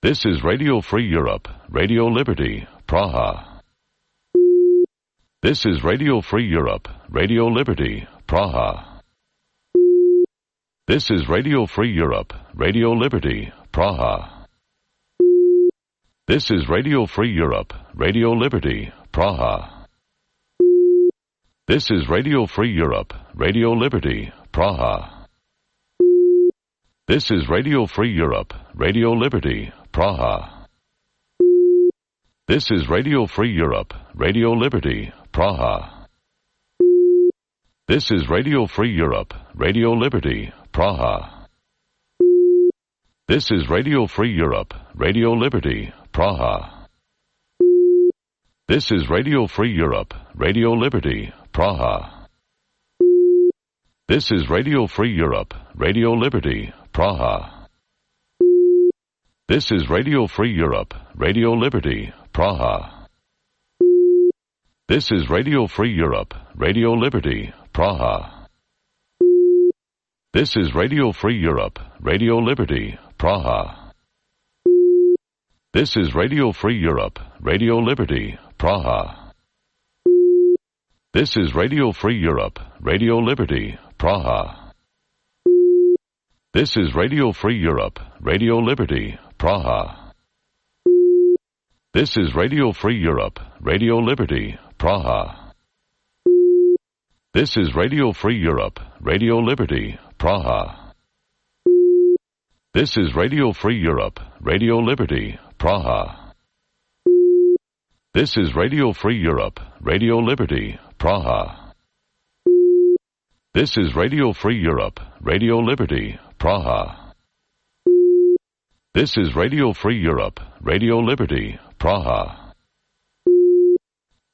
This is Radio Free Europe, Radio Liberty, Praha. This is Radio Free Europe, Radio Liberty, Praha. This is Radio Free Europe, Radio Liberty, Praha. This is Radio Free Europe, Radio Liberty, Praha. This is Radio Free Europe, Radio Liberty, Praha. This is Radio Free Europe, Radio Liberty, Praha. This is Radio Free Europe, Radio Liberty, Praha. This is Radio Free Europe, Radio Liberty, Praha. This is Radio Free Europe, Radio Liberty, Praha. This is Radio Free Europe, Radio Liberty, Praha. This is Radio Free Europe, Radio Liberty, Praha. This is Radio Free Europe, Radio Liberty, Praha. This is Radio Free Europe, Radio Liberty, Praha. This is Radio Free Europe, Radio Liberty, Praha. This is Radio Free Europe, Radio Liberty, Praha. This is Radio Free Europe, Radio Liberty, Praha. This is Radio Free Europe, Radio Liberty, Praha. This is Radio Free Europe, Radio Liberty, Praha. This is Radio Free Europe, Radio Liberty, Praha. This is Radio Free Europe, Radio Liberty, Praha. This is Radio Free Europe, Radio Liberty, Praha. This is Radio Free Europe, Radio Liberty, Praha. This is Radio Free Europe, Radio Liberty, Praha.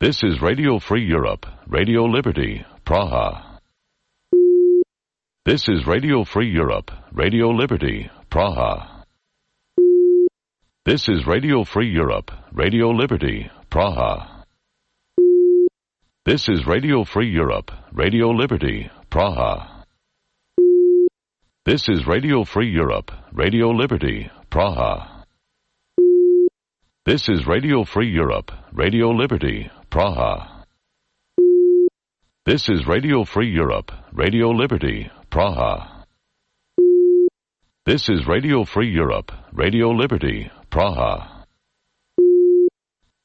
This is Radio Free Europe, Radio Liberty, Praha. This is Radio Free Europe, Radio Liberty, Praha. This is Radio Free Europe, Radio Liberty, Praha. This is Radio Free Europe, Radio Liberty, Praha. This is Radio Free Europe, Radio Liberty, Praha. This is Radio Free Europe, Radio Liberty, Praha. This is Radio Free Europe, Radio Liberty, Praha. This is Radio Free Europe, Radio Liberty, Praha.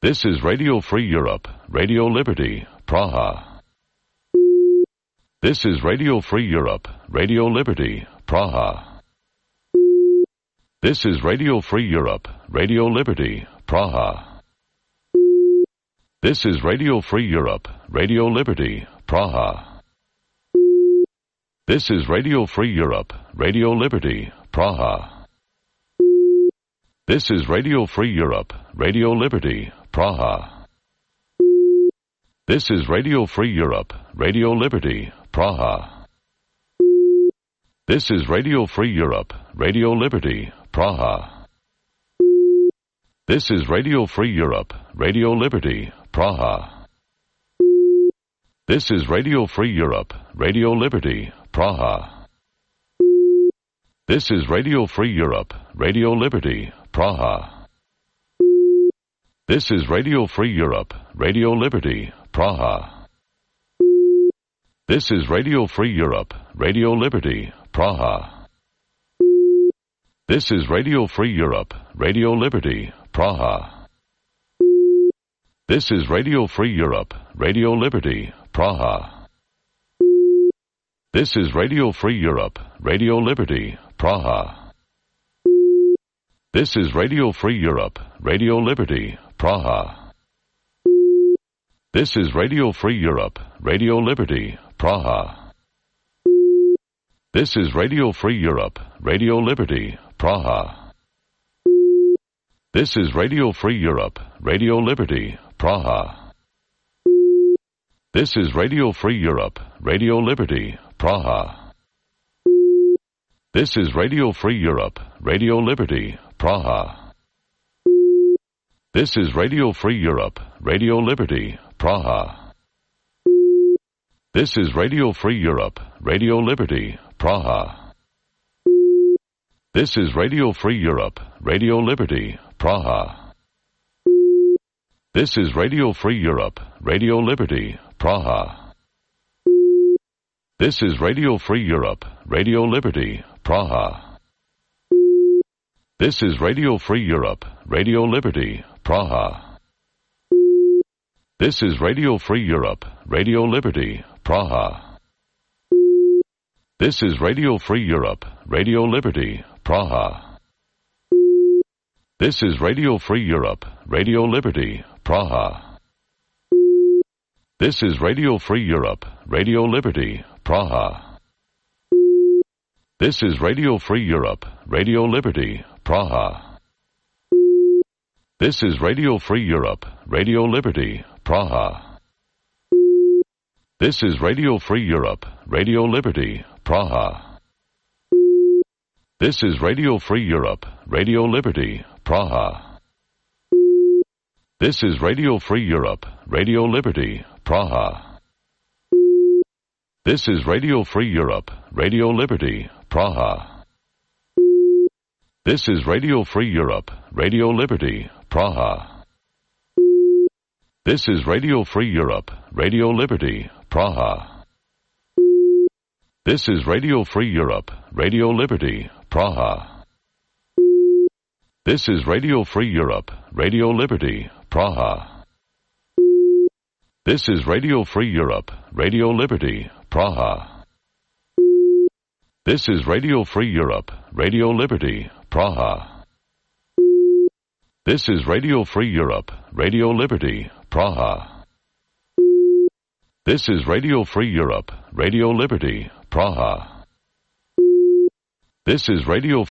This is Radio Free Europe, Radio Liberty, Praha. This is Radio Free Europe, Radio Liberty, Praha. This is Radio Free Europe, Radio Liberty, Praha. This is Radio Free Europe, Radio Liberty, Praha. This is Radio Free Europe, Radio Liberty, Praha. This is Radio Free Europe, Radio Liberty, Praha. This is Radio Free Europe, Radio Liberty, Praha. This is Radio Free Europe, Radio Liberty, Praha. This is Radio Free Europe, Radio Liberty, Praha. This is Radio Free Europe, Radio Liberty, Praha. This is Radio Free Europe, Radio Liberty, Praha. This is Radio Free Europe, Radio Liberty, Praha. This is Radio Free Europe, Radio Liberty, Praha. This is Radio Free Europe, Radio Liberty, Praha. This is Radio Free Europe, Radio Liberty, Praha. This is Radio Free Europe, Radio Liberty, Praha. This is Radio Free Europe, Radio Liberty, Praha. This is Radio Free Europe, Radio Liberty, Praha. This is Radio Free Europe, Radio Liberty, Praha. This is Radio Free Europe, Radio Liberty, Praha. This is Radio Free Europe, Radio Liberty, Praha. This is Radio Free Europe, Radio Liberty, Praha. This is Radio Free Europe, Radio Liberty, Praha. This is Radio Free Europe, Radio Liberty, Praha. This is Radio Free Europe, Radio Liberty, Praha. This is Radio Free Europe, Radio Liberty, Praha. This is Radio Free Europe, Radio Liberty, Praha. This is Radio Free Europe, Radio Liberty, Praha. This is Radio Free Europe, Radio Liberty, Praha. This is Radio Free Europe, Radio Liberty, Praha. This is Radio Free Europe, Radio Liberty, Praha. This is Radio Free Europe, Radio Liberty, Praha. This is Radio Free Europe, Radio Liberty, Praha. This is Radio Free Europe, Radio Liberty, Praha. This is Radio Free Europe, Radio Liberty, Praha. This is Radio Free Europe, Radio Liberty, Praha. This is Radio Free Europe, Radio Liberty, Praha. This is Radio Free Europe, Radio Liberty, Praha. This is Radio Free Europe, Radio Liberty, Praha. This is Radio Free Europe, Radio Liberty, Praha. This is Radio Free Europe, Radio Liberty, Praha. This is Radio Free Europe, Radio Liberty, Praha. This is Radio Free Europe, Radio Liberty, Praha. This is Radio Free Europe, Radio Liberty, Praha. This is Radio Free Europe, Radio Liberty, Praha. This is Radio Free Europe, Radio Liberty, Praha. This is Radio